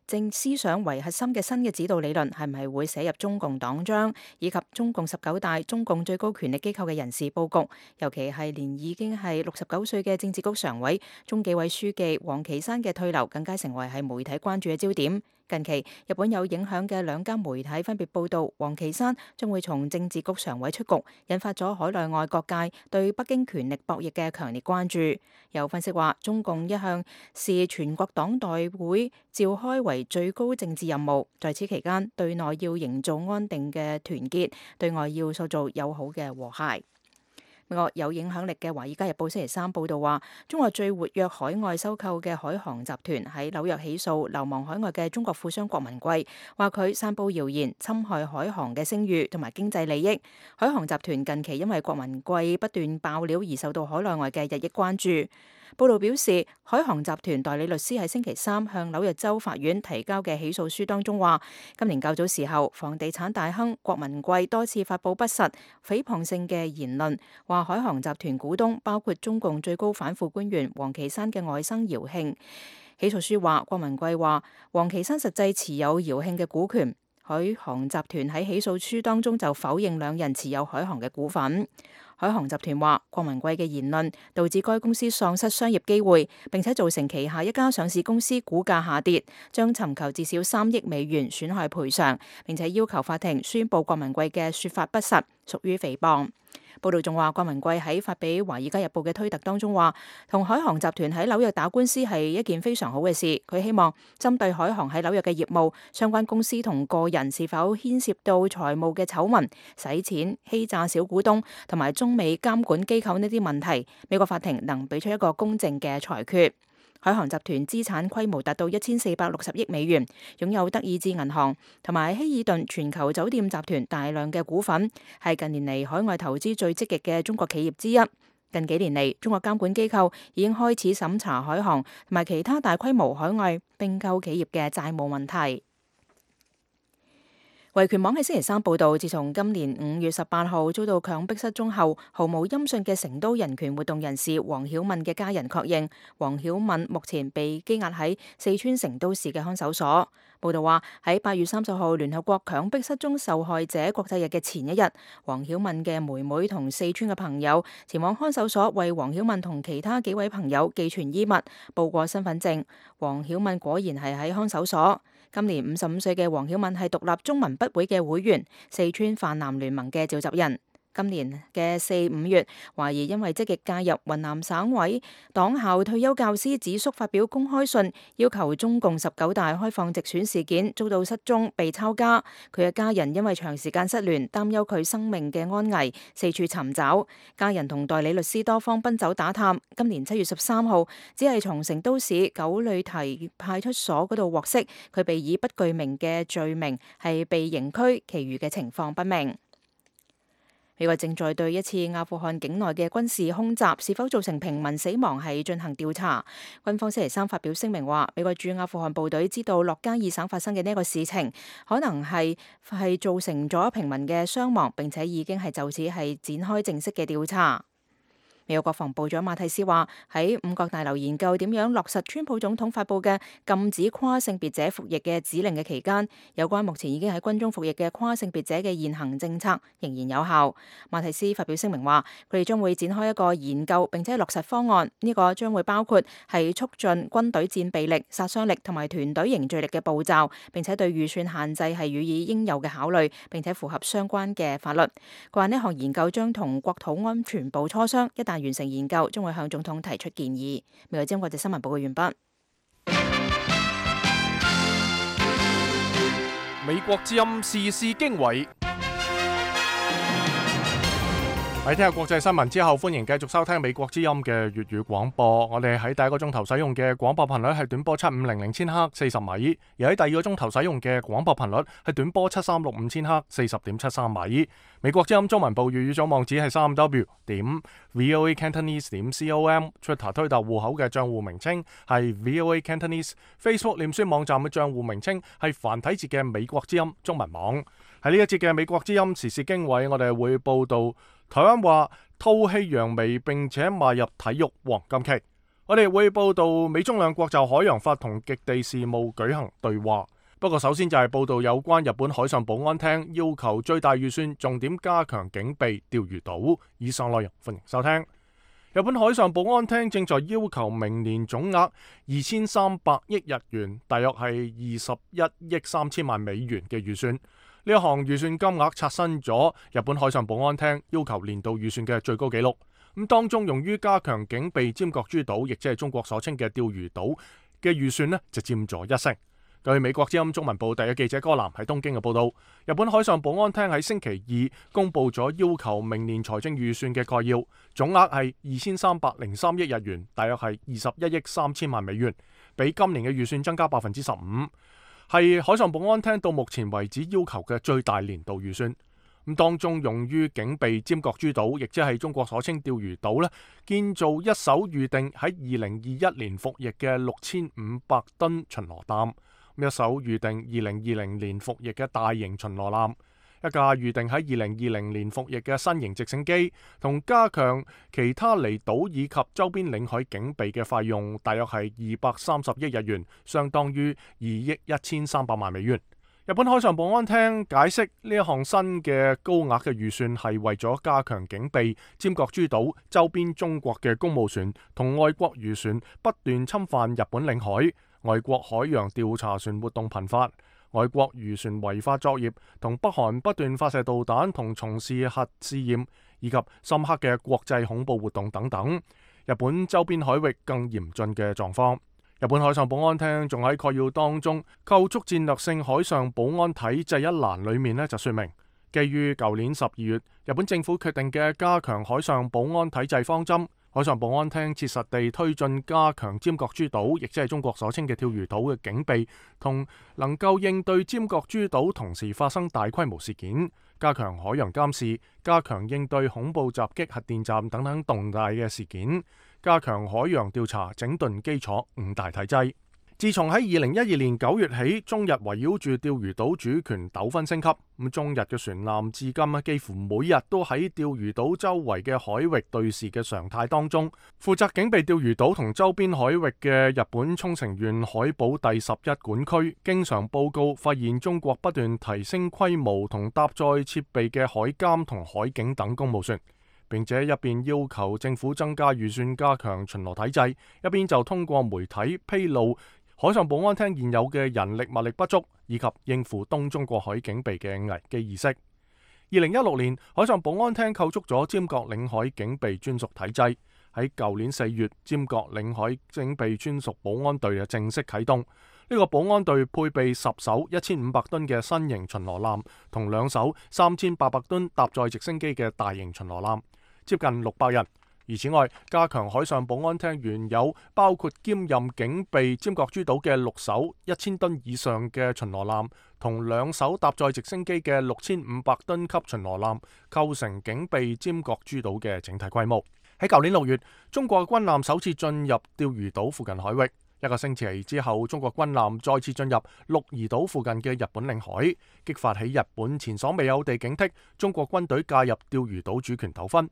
政思想為核心嘅新嘅指導理論係唔係會寫入中共黨章，以及中共十九大中共最高權力機構嘅人事佈局，尤其係連已經係六十九歲嘅政治局常委、中紀委書記王岐山嘅退流，更加成為係媒體關注嘅焦點。近期，日本有影響嘅兩家媒體分別報道，王岐山將會從政治局常委出局，引發咗海內外各界對北京權力博弈嘅強烈關注。有分析話，中共一向視全國黨代會召開為最高政治任務，在此期間，對內要營造安定嘅團結，對外要塑造友好嘅和諧。美國有影響力嘅《華爾街日報》星期三報導話，中國最活躍海外收購嘅海航集團喺紐約起訴流亡海外嘅中國富商郭文貴，話佢散佈謠言，侵害海航嘅聲譽同埋經濟利益。海航集團近期因為郭文貴不斷爆料而受到海內外嘅日益關注。報道表示，海航集團代理律師喺星期三向紐約州法院提交嘅起訴書當中話，今年較早時候，房地產大亨郭文貴多次發佈不實、誹謗性嘅言論，話海航集團股東包括中共最高反腐官員王岐山嘅外甥姚慶。起訴書話，郭文貴話王岐山實際持有姚慶嘅股權。海航集團喺起訴書當中就否認兩人持有海航嘅股份。海航集團話，郭文貴嘅言論導致該公司喪失商業機會，並且造成旗下一家上市公司股價下跌，將尋求至少三億美元損害賠償，並且要求法庭宣佈郭文貴嘅說法不實，屬於誹謗。報道仲話，郭文貴喺發俾《華爾街日報》嘅推特當中話，同海航集團喺紐約打官司係一件非常好嘅事。佢希望針對海航喺紐約嘅業務、相關公司同個人是否牽涉到財務嘅醜聞、洗錢、欺詐小股東同埋中美監管機構呢啲問題，美國法庭能俾出一個公正嘅裁決。海航集團資產規模達到一千四百六十億美元，擁有德意志銀行同埋希爾頓全球酒店集團大量嘅股份，係近年嚟海外投資最積極嘅中國企業之一。近幾年嚟，中國監管機構已經開始審查海航同埋其他大規模海外併購企業嘅債務問題。維權網喺星期三報道，自從今年五月十八號遭到強迫失蹤後，毫無音訊嘅成都人權活動人士黃曉敏嘅家人確認，黃曉敏目前被羈押喺四川成都市嘅看守所。報道話，喺八月三十號聯合國強迫失蹤受害者國際日嘅前一日，黃曉敏嘅妹妹同四川嘅朋友前往看守所為黃曉敏同其他幾位朋友寄存衣物、報過身份證。黃曉敏果然係喺看守所。今年五十五歲嘅黃曉敏係獨立中文筆會嘅會員，四川泛藍聯盟嘅召集人。今年嘅四五月，懷疑因為積極介入雲南省委黨校退休教師子叔發表公開信，要求中共十九大開放直選事件，遭到失蹤被抄家。佢嘅家人因為長時間失聯，擔憂佢生命嘅安危，四處尋找。家人同代理律師多方奔走打探。今年七月十三號，只係從成都市九里堤派出所嗰度獲悉，佢被以不具名嘅罪名係被刑拘，其餘嘅情況不明。美國正在對一次阿富汗境內嘅軍事空襲是否造成平民死亡係進行調查。軍方星期三發表聲明話，美國駐阿富汗部隊知道洛加爾省發生嘅呢一個事情，可能係係造成咗平民嘅傷亡，並且已經係就此係展開正式嘅調查。美國國防部長馬蒂斯話，喺五角大樓研究點樣落實川普總統發布嘅禁止跨性別者服役嘅指令嘅期間，有關目前已經喺軍中服役嘅跨性別者嘅現行政策仍然有效。馬蒂斯發表聲明話，佢哋將會展開一個研究並且落實方案，呢、這個將會包括係促進軍隊戰備力、殺傷力同埋團隊凝聚力嘅步驟，並且對預算限制係予以應有嘅考慮，並且符合相關嘅法律。佢話呢項研究將同國土安全部磋商，一旦完成研究，將會向總統提出建議。美國之音國際新聞報告完畢。美國之音時事經緯。喺聽下國際新聞之後，歡迎繼續收聽美國之音嘅粵語廣播。我哋喺第一個鐘頭使用嘅廣播頻率係短波七五零零千赫四十米，而喺第二個鐘頭使用嘅廣播頻率係短波七三六五千赫四十點七三米。美國之音中文部粵語組網址係三 w 點 voa cantonese 點 com，Twitter 推特戶口嘅賬戶名稱係 voa cantonese，Facebook 臉書網站嘅賬戶名稱係繁體字嘅美國之音中文網。喺呢一節嘅美國之音時事經緯，我哋會報道台灣話吐氣揚眉並且邁入體育黃金期。我哋會報道美中兩國就海洋法同極地事務舉行對話。不過首先就係報道有關日本海上保安廳要求最大預算重點加強警備釣魚島。以上內容歡迎收聽。日本海上保安廳正在要求明年總額二千三百億日元，大約係二十一億三千萬美元嘅預算。呢一項預算金額刷新咗日本海上保安廳要求年度預算嘅最高紀錄。咁當中用於加強警備尖閣諸島，亦即係中國所稱嘅釣魚島嘅預算呢，就佔咗一成。據美國之音中文部第一記者柯南喺東京嘅報道，日本海上保安廳喺星期二公布咗要求明年財政預算嘅概要，總額係二千三百零三億日元，大約係二十一億三千萬美元，比今年嘅預算增加百分之十五。係海上保安廳到目前為止要求嘅最大年度預算。咁當中用於警備尖閣諸島，亦即係中國所稱釣魚島咧，建造一艘預定喺二零二一年服役嘅六千五百噸巡邏艦，一艘預定二零二零年服役嘅大型巡邏艦，一架預定喺二零二零年服役嘅新型直升機，同加強其他離島以及周邊領海警備嘅費用，大約係二百三十億日元，相當於二億一千三百萬美元。日本海上保安廳解釋呢一項新嘅高額嘅預算係為咗加強警備尖閣諸島周邊中國嘅公務船同外國漁船不斷侵犯日本領海，外國海洋調查船活動頻發，外國漁船違法作業，同北韓不斷發射導彈同從事核試驗，以及深刻嘅國際恐怖活動等等，日本周邊海域更嚴峻嘅狀況。日本海上保安廳仲喺概要當中構築戰略性海上保安體制一欄裏面呢，就說明，基於舊年十二月日本政府決定嘅加強海上保安體制方針，海上保安廳切實地推進加強尖閣諸島，亦即係中國所稱嘅釣魚島嘅警備，同能夠應對尖閣諸島同時發生大規模事件，加強海洋監視，加強應對恐怖襲擊核電站等等重大嘅事件，加強海洋調查整頓基礎五大體制。自從喺二零一二年九月起，中日圍繞住釣魚島主權糾紛升級，咁中日嘅船艦至今啊，幾乎每日都喺釣魚島周圍嘅海域對峙嘅常態當中。負責警備釣魚島同周邊海域嘅日本沖繩縣海保第十一管區，經常報告發現中國不斷提升規模同搭載設備嘅海監同海警等公務船，並且一邊要求政府增加預算加強巡邏體制，一邊就通過媒體披露海上保安廳現有嘅人力物力不足，以及應付東中國海警備嘅危機意識。二零一六年，海上保安廳構築咗尖閣領海警備專屬體制。喺舊年四月，尖閣領海警備專屬保安隊就正式啟動。呢、這個保安隊配備十艘一千五百噸嘅新型巡邏艦，同兩艘三千八百噸搭載直升機嘅大型巡邏艦，接近六百人。而此外，加強海上保安廳原有包括兼任警備尖閣諸島嘅六艘一千噸以上嘅巡邏艦，同兩艘搭載直升機嘅六千五百噸級巡邏艦，構成警備尖閣諸島嘅整體規模。喺舊年六月，中國軍艦首次進入釣魚島附近海域。一個星期之後，中國軍艦再次進入鹿兒島附近嘅日本領海，激發起日本前所未有地警惕中國軍隊介入釣魚島主權糾紛。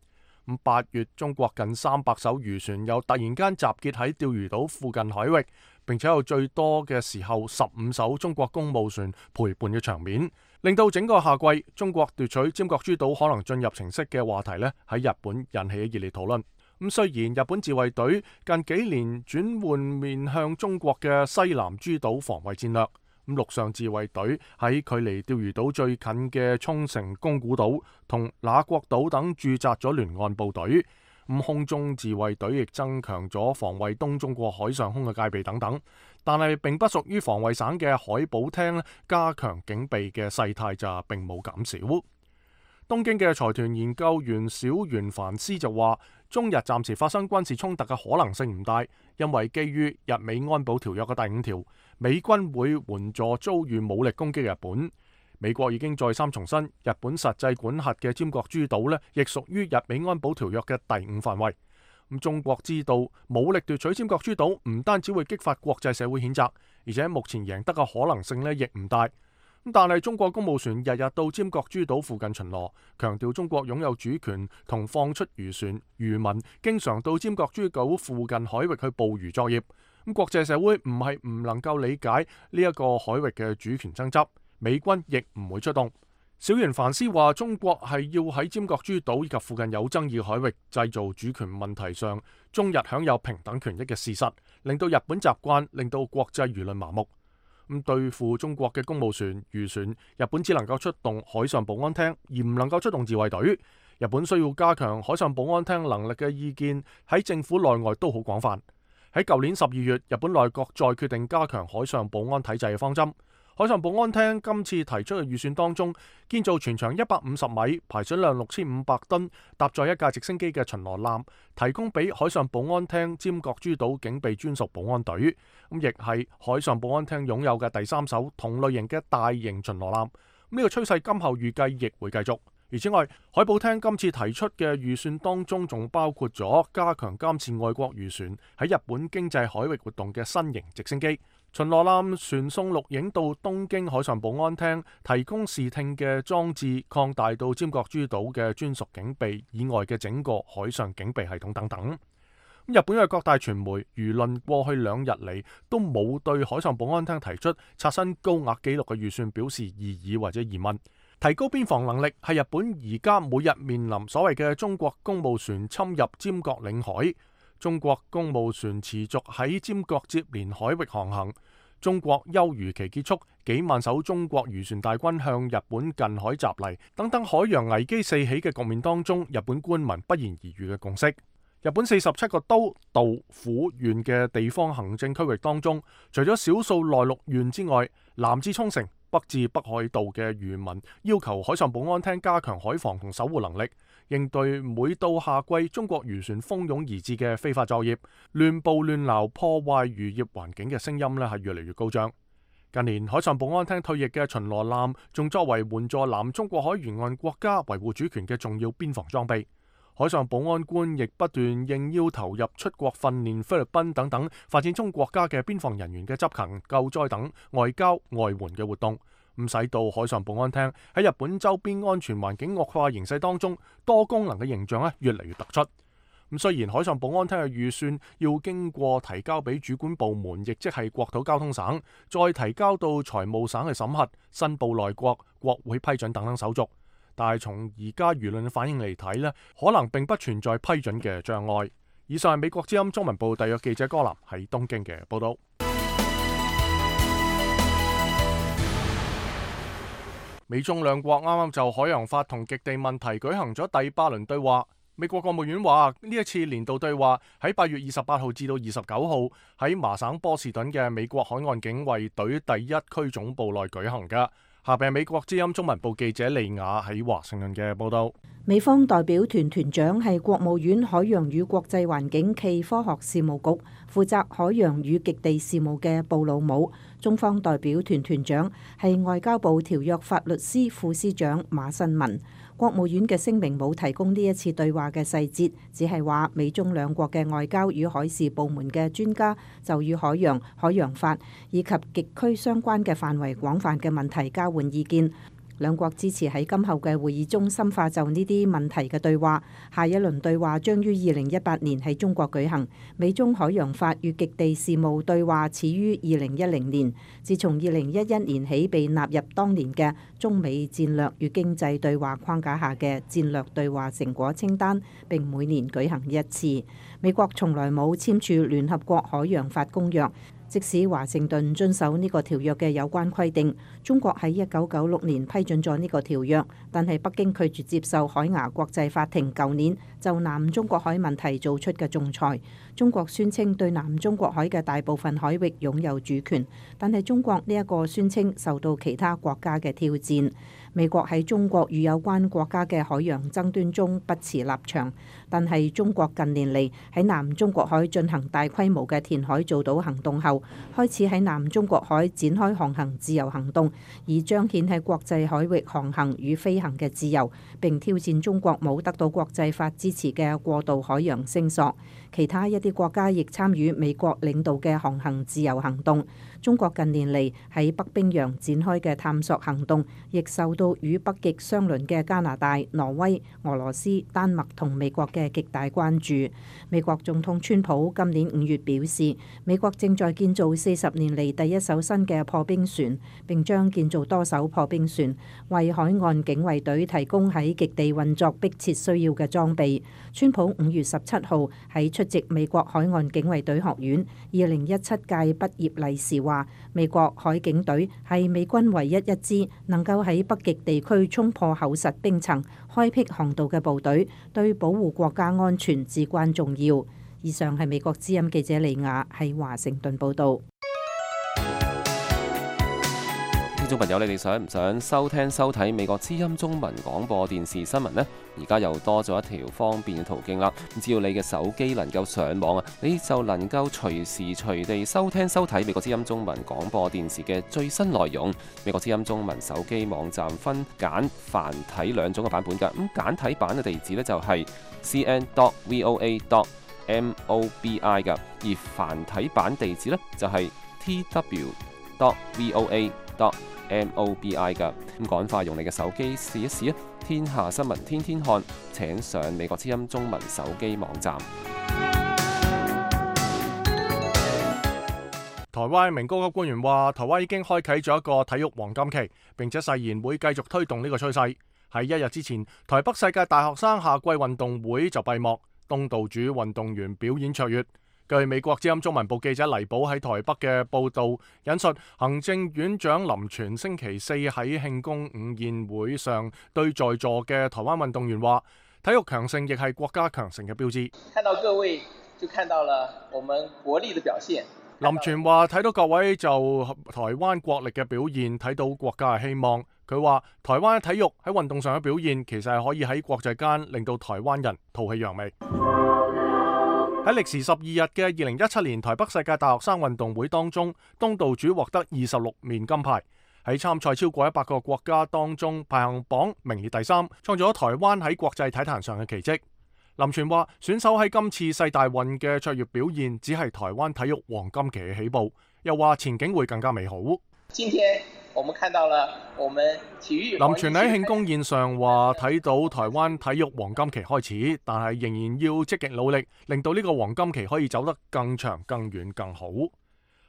咁八月，中國近三百艘漁船又突然間集結喺釣魚島附近海域，並且有最多嘅時候十五艘中國公務船陪伴嘅場面，令到整個夏季中國奪取尖閣諸島可能進入情勢嘅話題呢喺日本引起熱烈討論。咁雖然日本自衛隊近幾年轉換面向中國嘅西南諸島防衛戰略。咁陸上自衛隊喺距離釣魚島最近嘅沖繩宮古島同那國島等駐紮咗聯岸部隊，咁空中自衛隊亦增強咗防衛東中國海上空嘅戒備等等，但係並不屬於防衛省嘅海保廳加強警備嘅勢態就並冇減少。東京嘅財團研究員小原凡斯就話，中日暫時發生軍事衝突嘅可能性唔大，因為基於日美安保條約嘅第五條，美軍會援助遭遇武力攻擊嘅日本。美國已經再三重申，日本實際管轄嘅尖閣諸島呢，亦屬於日美安保條約嘅第五範圍。咁中國知道武力奪取尖閣諸島唔單止會激發國際社會譴責，而且目前贏得嘅可能性呢亦唔大。但係中國公務船日日到尖閣諸島附近巡邏，強調中國擁有主權同放出漁船，漁民經常到尖閣諸島附近海域去捕魚作業。咁國際社會唔係唔能夠理解呢一個海域嘅主權爭執，美軍亦唔會出動。小原凡斯話，中國係要喺尖閣諸島以及附近有爭議海域製造主權問題上中日享有平等權益嘅事實，令到日本習慣，令到國際輿論麻木。咁對付中國嘅公務船、漁船，日本只能夠出動海上保安廳，而唔能夠出動自衛隊。日本需要加強海上保安廳能力嘅意見喺政府內外都好廣泛。喺舊年十二月，日本內閣再決定加強海上保安體制嘅方針。海上保安廳今次提出嘅預算當中，建造全長一百五十米、排水量六千五百噸、搭載一架直升機嘅巡邏艦，提供俾海上保安廳尖閣諸島警備專屬保安隊。咁亦係海上保安廳擁有嘅第三艘同類型嘅大型巡邏艦。呢個趨勢今後預計亦會繼續。而此外，海保廳今次提出嘅預算當中，仲包括咗加強監視外國漁船喺日本經濟海域活動嘅新型直升機。巡邏艦傳送錄影到東京海上保安廳，提供視聽嘅裝置，擴大到尖閣諸島嘅專屬警備以外嘅整個海上警備系統等等。日本嘅各大傳媒輿論過去兩日嚟都冇對海上保安廳提出刷新高額紀錄嘅預算表示異議或者疑問。提高邊防能力係日本而家每日面臨所謂嘅中國公務船侵入尖閣領海。中國公務船持續喺尖閣接連海域航行，中國休漁期結束，幾萬艘中國漁船大軍向日本近海襲嚟，等等海洋危機四起嘅局面當中，日本官民不言而喻嘅共識。日本四十七個都道府縣嘅地方行政區域當中，除咗少數內陸縣之外，南至沖繩、北至北海道嘅漁民要求海上保安廳加強海防同守護能力，應對每到夏季中國漁船蜂擁而至嘅非法作業、亂捕亂撈破壞漁業環境嘅聲音呢係越嚟越高漲。近年海上保安廳退役嘅巡邏艦，仲作為援助南中國海沿岸國家維護主權嘅重要邊防裝備。海上保安官亦不斷應邀投入出國訓練菲律賓等等發展中國家嘅邊防人員嘅執勤、救災等外交外援嘅活動，咁使到海上保安廳喺日本周邊安全環境惡化形勢當中，多功能嘅形象咧越嚟越突出。咁雖然海上保安廳嘅預算要經過提交俾主管部門，亦即係國土交通省，再提交到財務省去審核、申報內閣、國會批准等等手續。但係從而家輿論嘅反應嚟睇呢，可能並不存在批准嘅障礙。以上係美國之音中文部特約記者柯南喺東京嘅報道。美中兩國啱啱就海洋法同極地問題舉行咗第八輪對話。美國國務院話呢一次年度對話喺八月二十八號至到二十九號喺麻省波士頓嘅美國海岸警衛隊第一區總部內舉行㗎。下邊係美國之音中文部記者利亞喺華盛頓嘅報道。美方代表團團長係國務院海洋與國際環境暨科學事務局，負責海洋與極地事務嘅布魯姆。中方代表團團長係外交部條約法律司副司長馬新民。國務院嘅聲明冇提供呢一次對話嘅細節，只係話美中兩國嘅外交與海事部門嘅專家就與海洋、海洋法以及極區相關嘅範圍廣泛嘅問題交換意見。兩國支持喺今後嘅會議中深化就呢啲問題嘅對話。下一輪對話將於二零一八年喺中國舉行。美中海洋法與極地事務對話始於二零一零年，自從二零一一年起被納入當年嘅中美戰略與經濟對話框架下嘅戰略對話成果清單，並每年舉行一次。美國從來冇簽署聯合國海洋法公約。即使華盛頓遵守呢個條約嘅有關規定，中國喺一九九六年批准咗呢個條約，但係北京拒絕接受海牙國際法庭舊年就南中國海問題做出嘅仲裁。中國宣稱對南中國海嘅大部分海域擁有主權，但係中國呢一個宣稱受到其他國家嘅挑戰。美國喺中國與有關國家嘅海洋爭端中不持立場，但係中國近年嚟喺南中國海進行大規模嘅填海造島行動後，開始喺南中國海展開航行自由行動，以彰顯喺國際海域航行與飛行嘅自由，並挑戰中國冇得到國際法支持嘅過度海洋聲索。其他一啲國家亦參與美國領導嘅航行自由行動。中國近年嚟喺北冰洋展開嘅探索行動，亦受到與北極相鄰嘅加拿大、挪威、俄羅斯、丹麥同美國嘅極大關注。美國總統川普今年五月表示，美國正在建造四十年嚟第一艘新嘅破冰船，並將建造多艘破冰船，為海岸警衛隊提供喺極地運作迫切需要嘅裝備。川普五月十七號喺出席美國海岸警衛隊學院二零一七屆畢業禮時話，美國海警隊係美軍唯一一支能夠喺北極地區衝破厚實冰層、開闢航道嘅部隊，對保護國家安全至關重要。以上係美國之音記者利亞喺華盛頓報導。聽眾朋友，你哋想唔想收聽收睇美國之音中文廣播電視新聞呢？而家又多咗一條方便嘅途徑啦！只要你嘅手機能夠上網啊，你就能夠隨時隨地收聽收睇美國之音中文廣播電視嘅最新內容。美國之音中文手機網站分簡繁體兩種嘅版本㗎。咁簡體版嘅地址呢，就係 c n dot v o a dot m o b i 㗎，而繁體版地址呢，就係 t w dot v o a dot m o b i 㗎。咁趕快用你嘅手機試一試啊！天下新聞天天看，請上美國之音中文手機網站。台灣一名高級官員話，台灣已經開啟咗一個體育黃金期，並且誓言會繼續推動呢個趨勢。喺一日之前，台北世界大學生夏季運動會就閉幕，東道主運動員表演卓越。據美國之音中文部記者黎寶喺台北嘅報導引述，行政院長林全星期四喺慶功午宴會上對在座嘅台灣運動員話：體育強盛亦係國家強盛嘅標誌。看到各位就看到了我們國力的表現。林全話：睇到各位就台灣國力嘅表現，睇到國家嘅希望。佢話：台灣體育喺運動上嘅表現，其實係可以喺國際間令到台灣人吐氣揚眉。喺歷時十二日嘅二零一七年台北世界大學生運動會當中，東道主獲得二十六面金牌。喺參賽超過一百個國家當中，排行榜名列第三，創造咗台灣喺國際體壇上嘅奇蹟。林全話：選手喺今次世大運嘅卓越表現，只係台灣體育黃金期嘅起步。又話前景會更加美好。今天我們看到了我們體育。林全喺慶功宴上話：睇到台灣體育黃金期開始，但係仍然要積極努力，令到呢個黃金期可以走得更長、更遠、更好。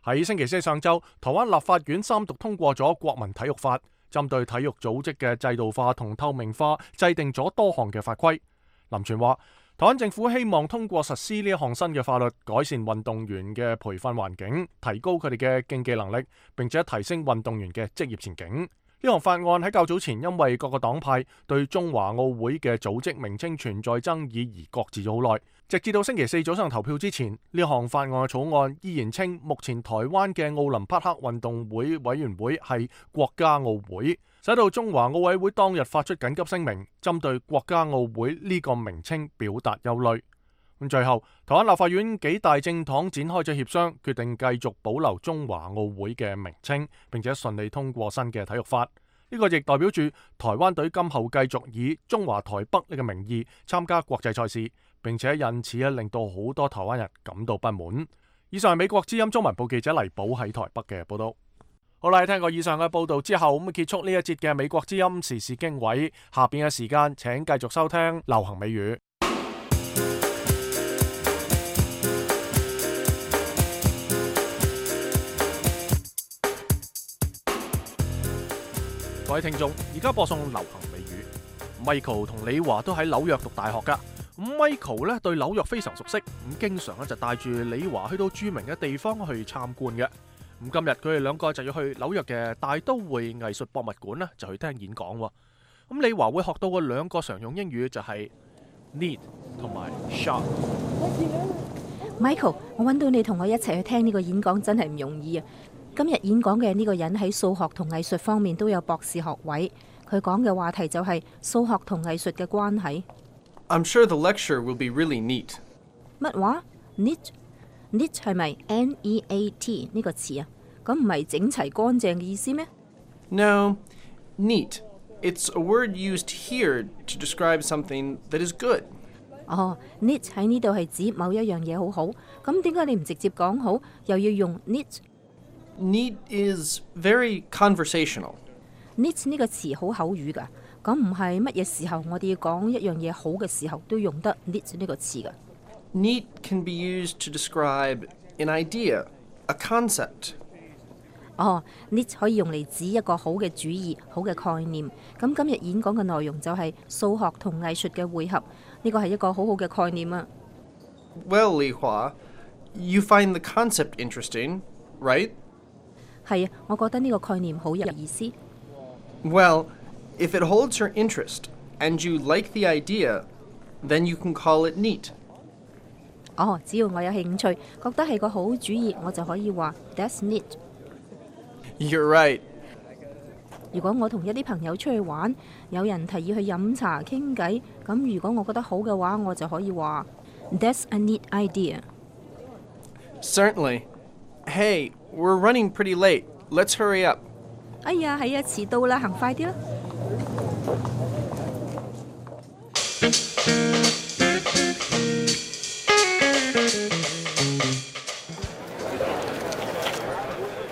喺星期四上晝，台灣立法院三讀通過咗國民體育法，針對體育組織嘅制度化同透明化，制定咗多項嘅法規。林全話：台灣政府希望通過實施呢一項新嘅法律，改善運動員嘅培訓環境，提高佢哋嘅競技能力，並且提升運動員嘅職業前景。呢項法案喺較早前因為各個黨派對中華奧會嘅組織名稱存在爭議而擱置咗好耐，直至到星期四早上投票之前，呢項法案嘅草案依然稱目前台灣嘅奧林匹克運動會委員會係國家奧會，使到中華奧委會當日發出緊急聲明，針對國家奧會呢個名稱表達憂慮。咁最後，台灣立法院幾大政黨展開咗協商，決定繼續保留中華奧會嘅名稱，並且順利通過新嘅體育法。呢個亦代表住台灣隊今後繼續以中華台北呢個名義參加國際賽事，並且因此咧令到好多台灣人感到不滿。以上係美國之音中文部記者黎寶喺台北嘅報道。好啦，聽過以上嘅報道之後，咁結束呢一節嘅美國之音時事經緯。下邊嘅時間請繼續收聽流行美語。各位聽眾，而家播送流行美語。Michael 同李華都喺紐約讀大學噶。咁 Michael 咧對紐約非常熟悉，咁經常咧就帶住李華去到著名嘅地方去參觀嘅。咁今日佢哋兩個就要去紐約嘅大都會藝術博物館咧，就去聽演講。咁李華會學到嘅兩個常用英語就係 neat 同埋 sharp。Michael， 我揾到你同我一齊去聽呢個演講真係唔容易啊！今日演講嘅呢個人喺數學同藝術方面都有博士學位，佢講嘅話題就係數學同藝術嘅關係。I'm sure the lecture will be really neat. 乜話 ？neat？neat 係咪 N E A T 呢個詞啊？咁唔係整齊乾淨嘅意思咩 ？No, neat. It's a word used here to describe something that is good. 哦 ，neat 喺呢度係指某一樣嘢好好，咁點解你唔直接講好，又要用 neat？Neat is very conversational. Neat 呢個詞好口語㗎，咁唔係乜嘢時候我哋要講一樣嘢好嘅時候都用得 neat 呢個詞㗎。Neat can be used to describe an idea, a concept. 哦 ，neat 可以用嚟指一個好嘅主意、好嘅概念。咁今日演講嘅內容就係數學同藝術嘅匯合，呢個係一個好好嘅概念啊。Well, Li Hua, you find the concept interesting, right?係啊，我覺得呢個概念好有意思。Well, if it holds your interest and you like the idea, then you can call it neat. 哦，只要我有興趣，覺得係個好主意，我就可以話 That's neat. You're right. 如果我同一啲朋友出去玩，有人提議去飲茶傾偈，咁如果我覺得好嘅話，我就可以話 That's a neat idea. Certainly. Hey, we're running pretty late. Let's hurry up. 哎呀，係啊，遲到啦，行快啲啦。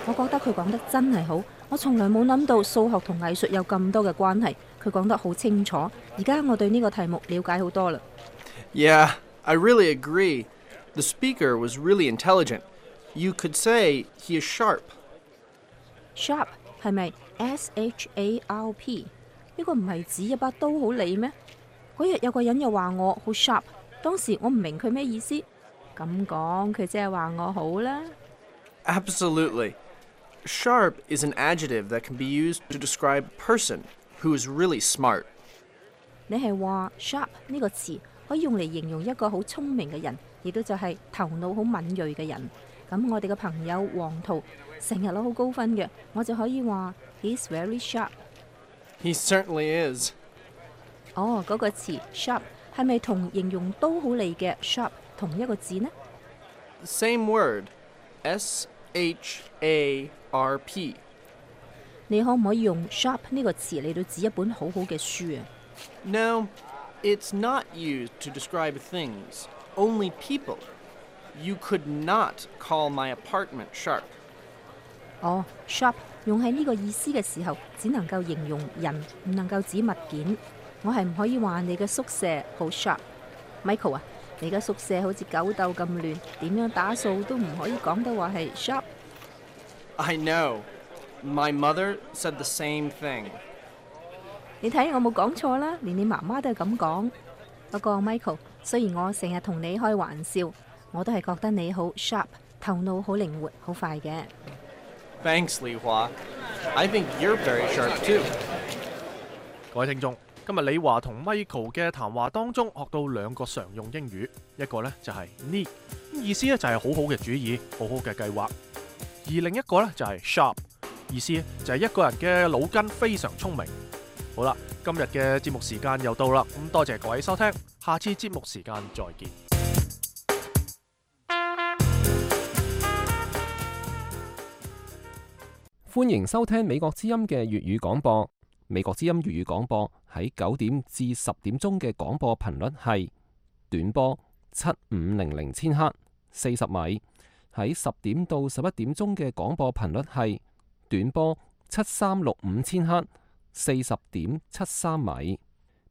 我覺得佢講得真係好，我從來冇諗到數學同藝術有咁多嘅關係。佢講得好清楚，而家我對呢個題目了解好多啦。Yeah, I really agree. The speaker was really intelligent.You could say he is sharp. Sharp 係咪 S H A R P？ 呢個唔係指一把刀好利咩？嗰日有個人又話我好 sharp， 當時我唔明佢咩意思。咁講佢即係話我好啦。Absolutely. Sharp is an adjective that can be used to describe a person who is really smart. 你係話 sharp 呢個詞可以用嚟形容一個好聰明嘅人，亦都就係頭腦好敏鋭嘅人。咁我哋嘅朋友黃圖成日攞好高分嘅，我就可以話 He's very sharp. He certainly is. 哦，嗰個詞 sharp 係咪同形容刀好利嘅 sharp 同一個字呢？ Same word. S H A R P. 你可唔可以用 sharp 呢個詞嚟到指一本好好嘅書啊？ No, it's not used to describe things, only people.You could not call my apartment sharp. 哦 ，sharp 用喺呢個意思嘅時候，只能夠形容人，唔能夠指物件。我係唔可以話你嘅宿舍好 sharp。Michael 啊，你嘅宿舍好似狗竇咁亂，點樣打掃都唔可以講得話係 sharp。I know. My mother said the same thing. 你睇我冇講錯啦，連你媽媽都係咁講。不過 Michael，雖然我成日同你開玩笑，我都係覺得你好 sharp， 頭腦好靈活，好快嘅。Thanks, Li Hua. I think you're very sharp too. 各位聽眾，今日李華同 Michael 嘅談話當中學到兩個常用英語，一個呢就係 need， 意思咧就係好好嘅主意，好好嘅計劃；而另一個呢就係 sharp， 意思就係一個人嘅腦筋非常聰明。好啦，今日嘅節目時間又到啦，咁多謝各位收聽，下次節目時間再見。歡迎收聽美國之音嘅粵語廣播。美國之音粵語廣播喺九點至十點鐘嘅廣播頻率係短波七五零零千赫四十米，喺十點到十一點鐘嘅廣播頻率係短波七三六五千赫四十點七三米。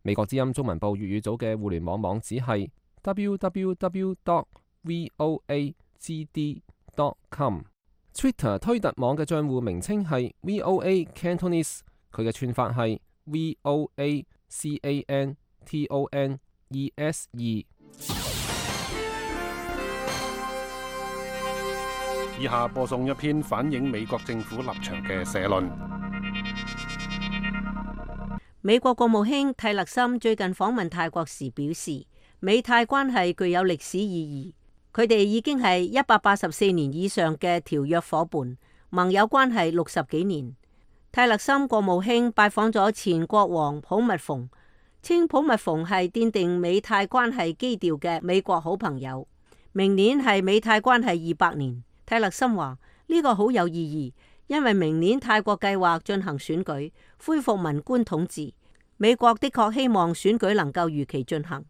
美國之音中文部粵語組嘅互聯網網址係 double-u double-u double-u dot voa g d dot com。Twitter 推特網嘅賬戶名稱係 V O A Cantonese， 佢嘅串法係 V O A C A N T O N E S E。以下播送一篇反映美國政府立場嘅社論。美國國務卿蒂勒森最近訪問泰國時表示，美泰關係具有歷史意義。佢哋已經係一百八十四年以上嘅條約夥伴，盟友關係六十幾年。蒂勒森國務卿拜訪咗前國王普密蓬，稱普密蓬係奠定美泰關係基調嘅美國好朋友。明年係美泰關係二百年，蒂勒森話呢個好有意義，因為明年泰國計劃進行選舉，恢復文官統治。美國的確希望選舉能夠如期進行。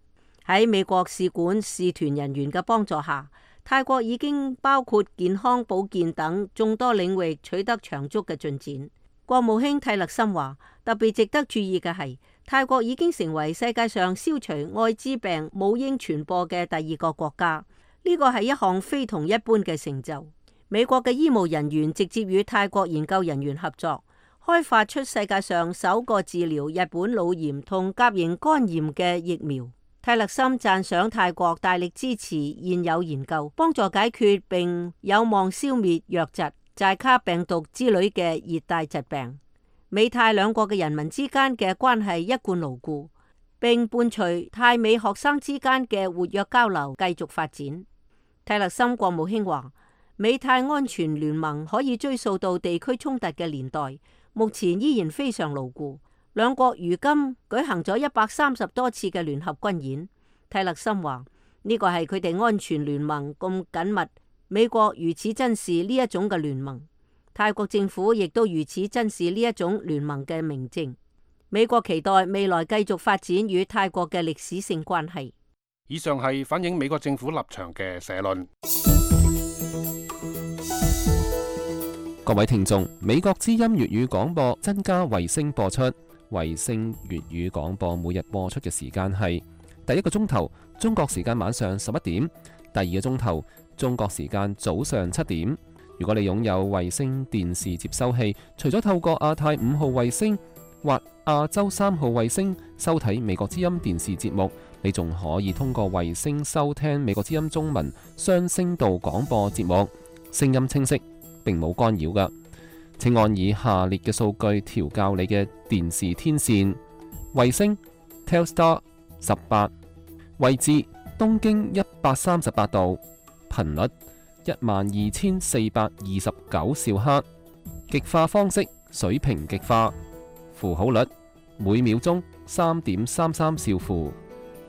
喺美國使館使團人員嘅幫助下，泰國已經包括健康保健等眾多領域取得長足嘅進展。國務卿蒂勒森話，特別值得注意嘅係，泰國已經成為世界上消除艾滋病母嬰傳播嘅第二個國家，呢個係一項非同一般嘅成就。美國嘅醫務人員直接與泰國研究人員合作，開發出世界上首個治療日本腦炎同甲型肝炎嘅疫苗。蒂勒森讚賞泰國大力支持現有研究，幫助解決並有望消滅瘧疾、寨卡病毒之類嘅熱帶疾病。美泰兩國嘅人民之間嘅關係一貫牢固，並伴隨泰美學生之間嘅活躍交流繼續發展。蒂勒森國務卿話，美泰安全聯盟可以追溯到地區衝突嘅年代，目前依然非常牢固。兩國如今舉行咗一百三十多次嘅聯合軍演。蒂勒森話呢個係佢哋安全聯盟咁緊密，美國如此珍視呢一種嘅聯盟，泰國政府亦都如此珍視呢一種聯盟嘅明證。美國期待未來繼續發展與泰國嘅歷史性關係。以上係反映美國政府立場嘅社論。各位聽眾，美國之音粵語廣播增加衛星播出。衛星粵語廣播每日播出嘅時間係第一個鐘頭中國時間晚上十一點，第二個鐘頭中國時間早上七點。如果你擁有衛星電視接收器，除咗透過亞太五號衛星或亞洲三號衛星收睇美國之音電視節目，你仲可以通過衛星收聽美國之音中文雙聲道廣播節目，聲音清晰，並冇干擾㗎。請按以下列嘅數據調校你嘅電視天線：衛星 Telstar 十八，位置東經一百三十八度，頻率一萬二千四百二十九兆赫，極化方式水平極化，符號率每秒鐘三點三三兆符，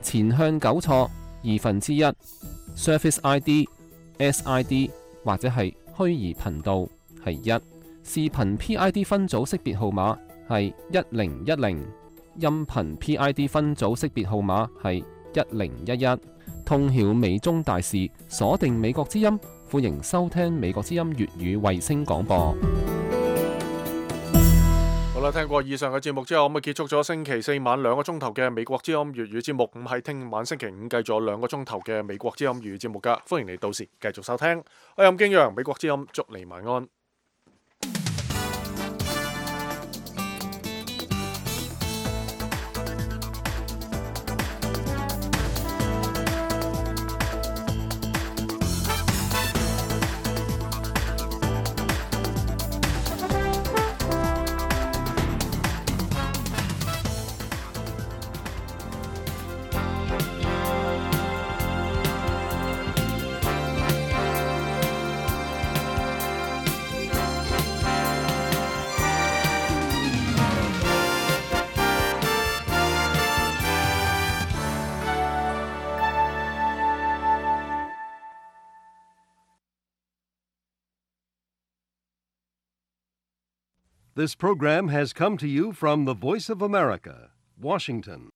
前向糾錯二分之一 ，Service I D S I D 或者係虛擬頻道係一。視頻 P I D 分組識別號碼係一零一零，音頻 P I D 分組識別號碼係一零一一。通曉美中大事，鎖定美國之音，歡迎收聽美國之音粵語衛星廣播。好啦，聽過以上嘅節目之後，咁啊結束咗星期四晚兩個鐘頭嘅美國之音粵語節目。咁喺聽晚星期五繼續兩個鐘頭嘅美國之音粵語節目噶，歡迎你到時繼續收聽。我係任敬揚，美國之音，祝你晚安。This program has come to you from the Voice of America, Washington.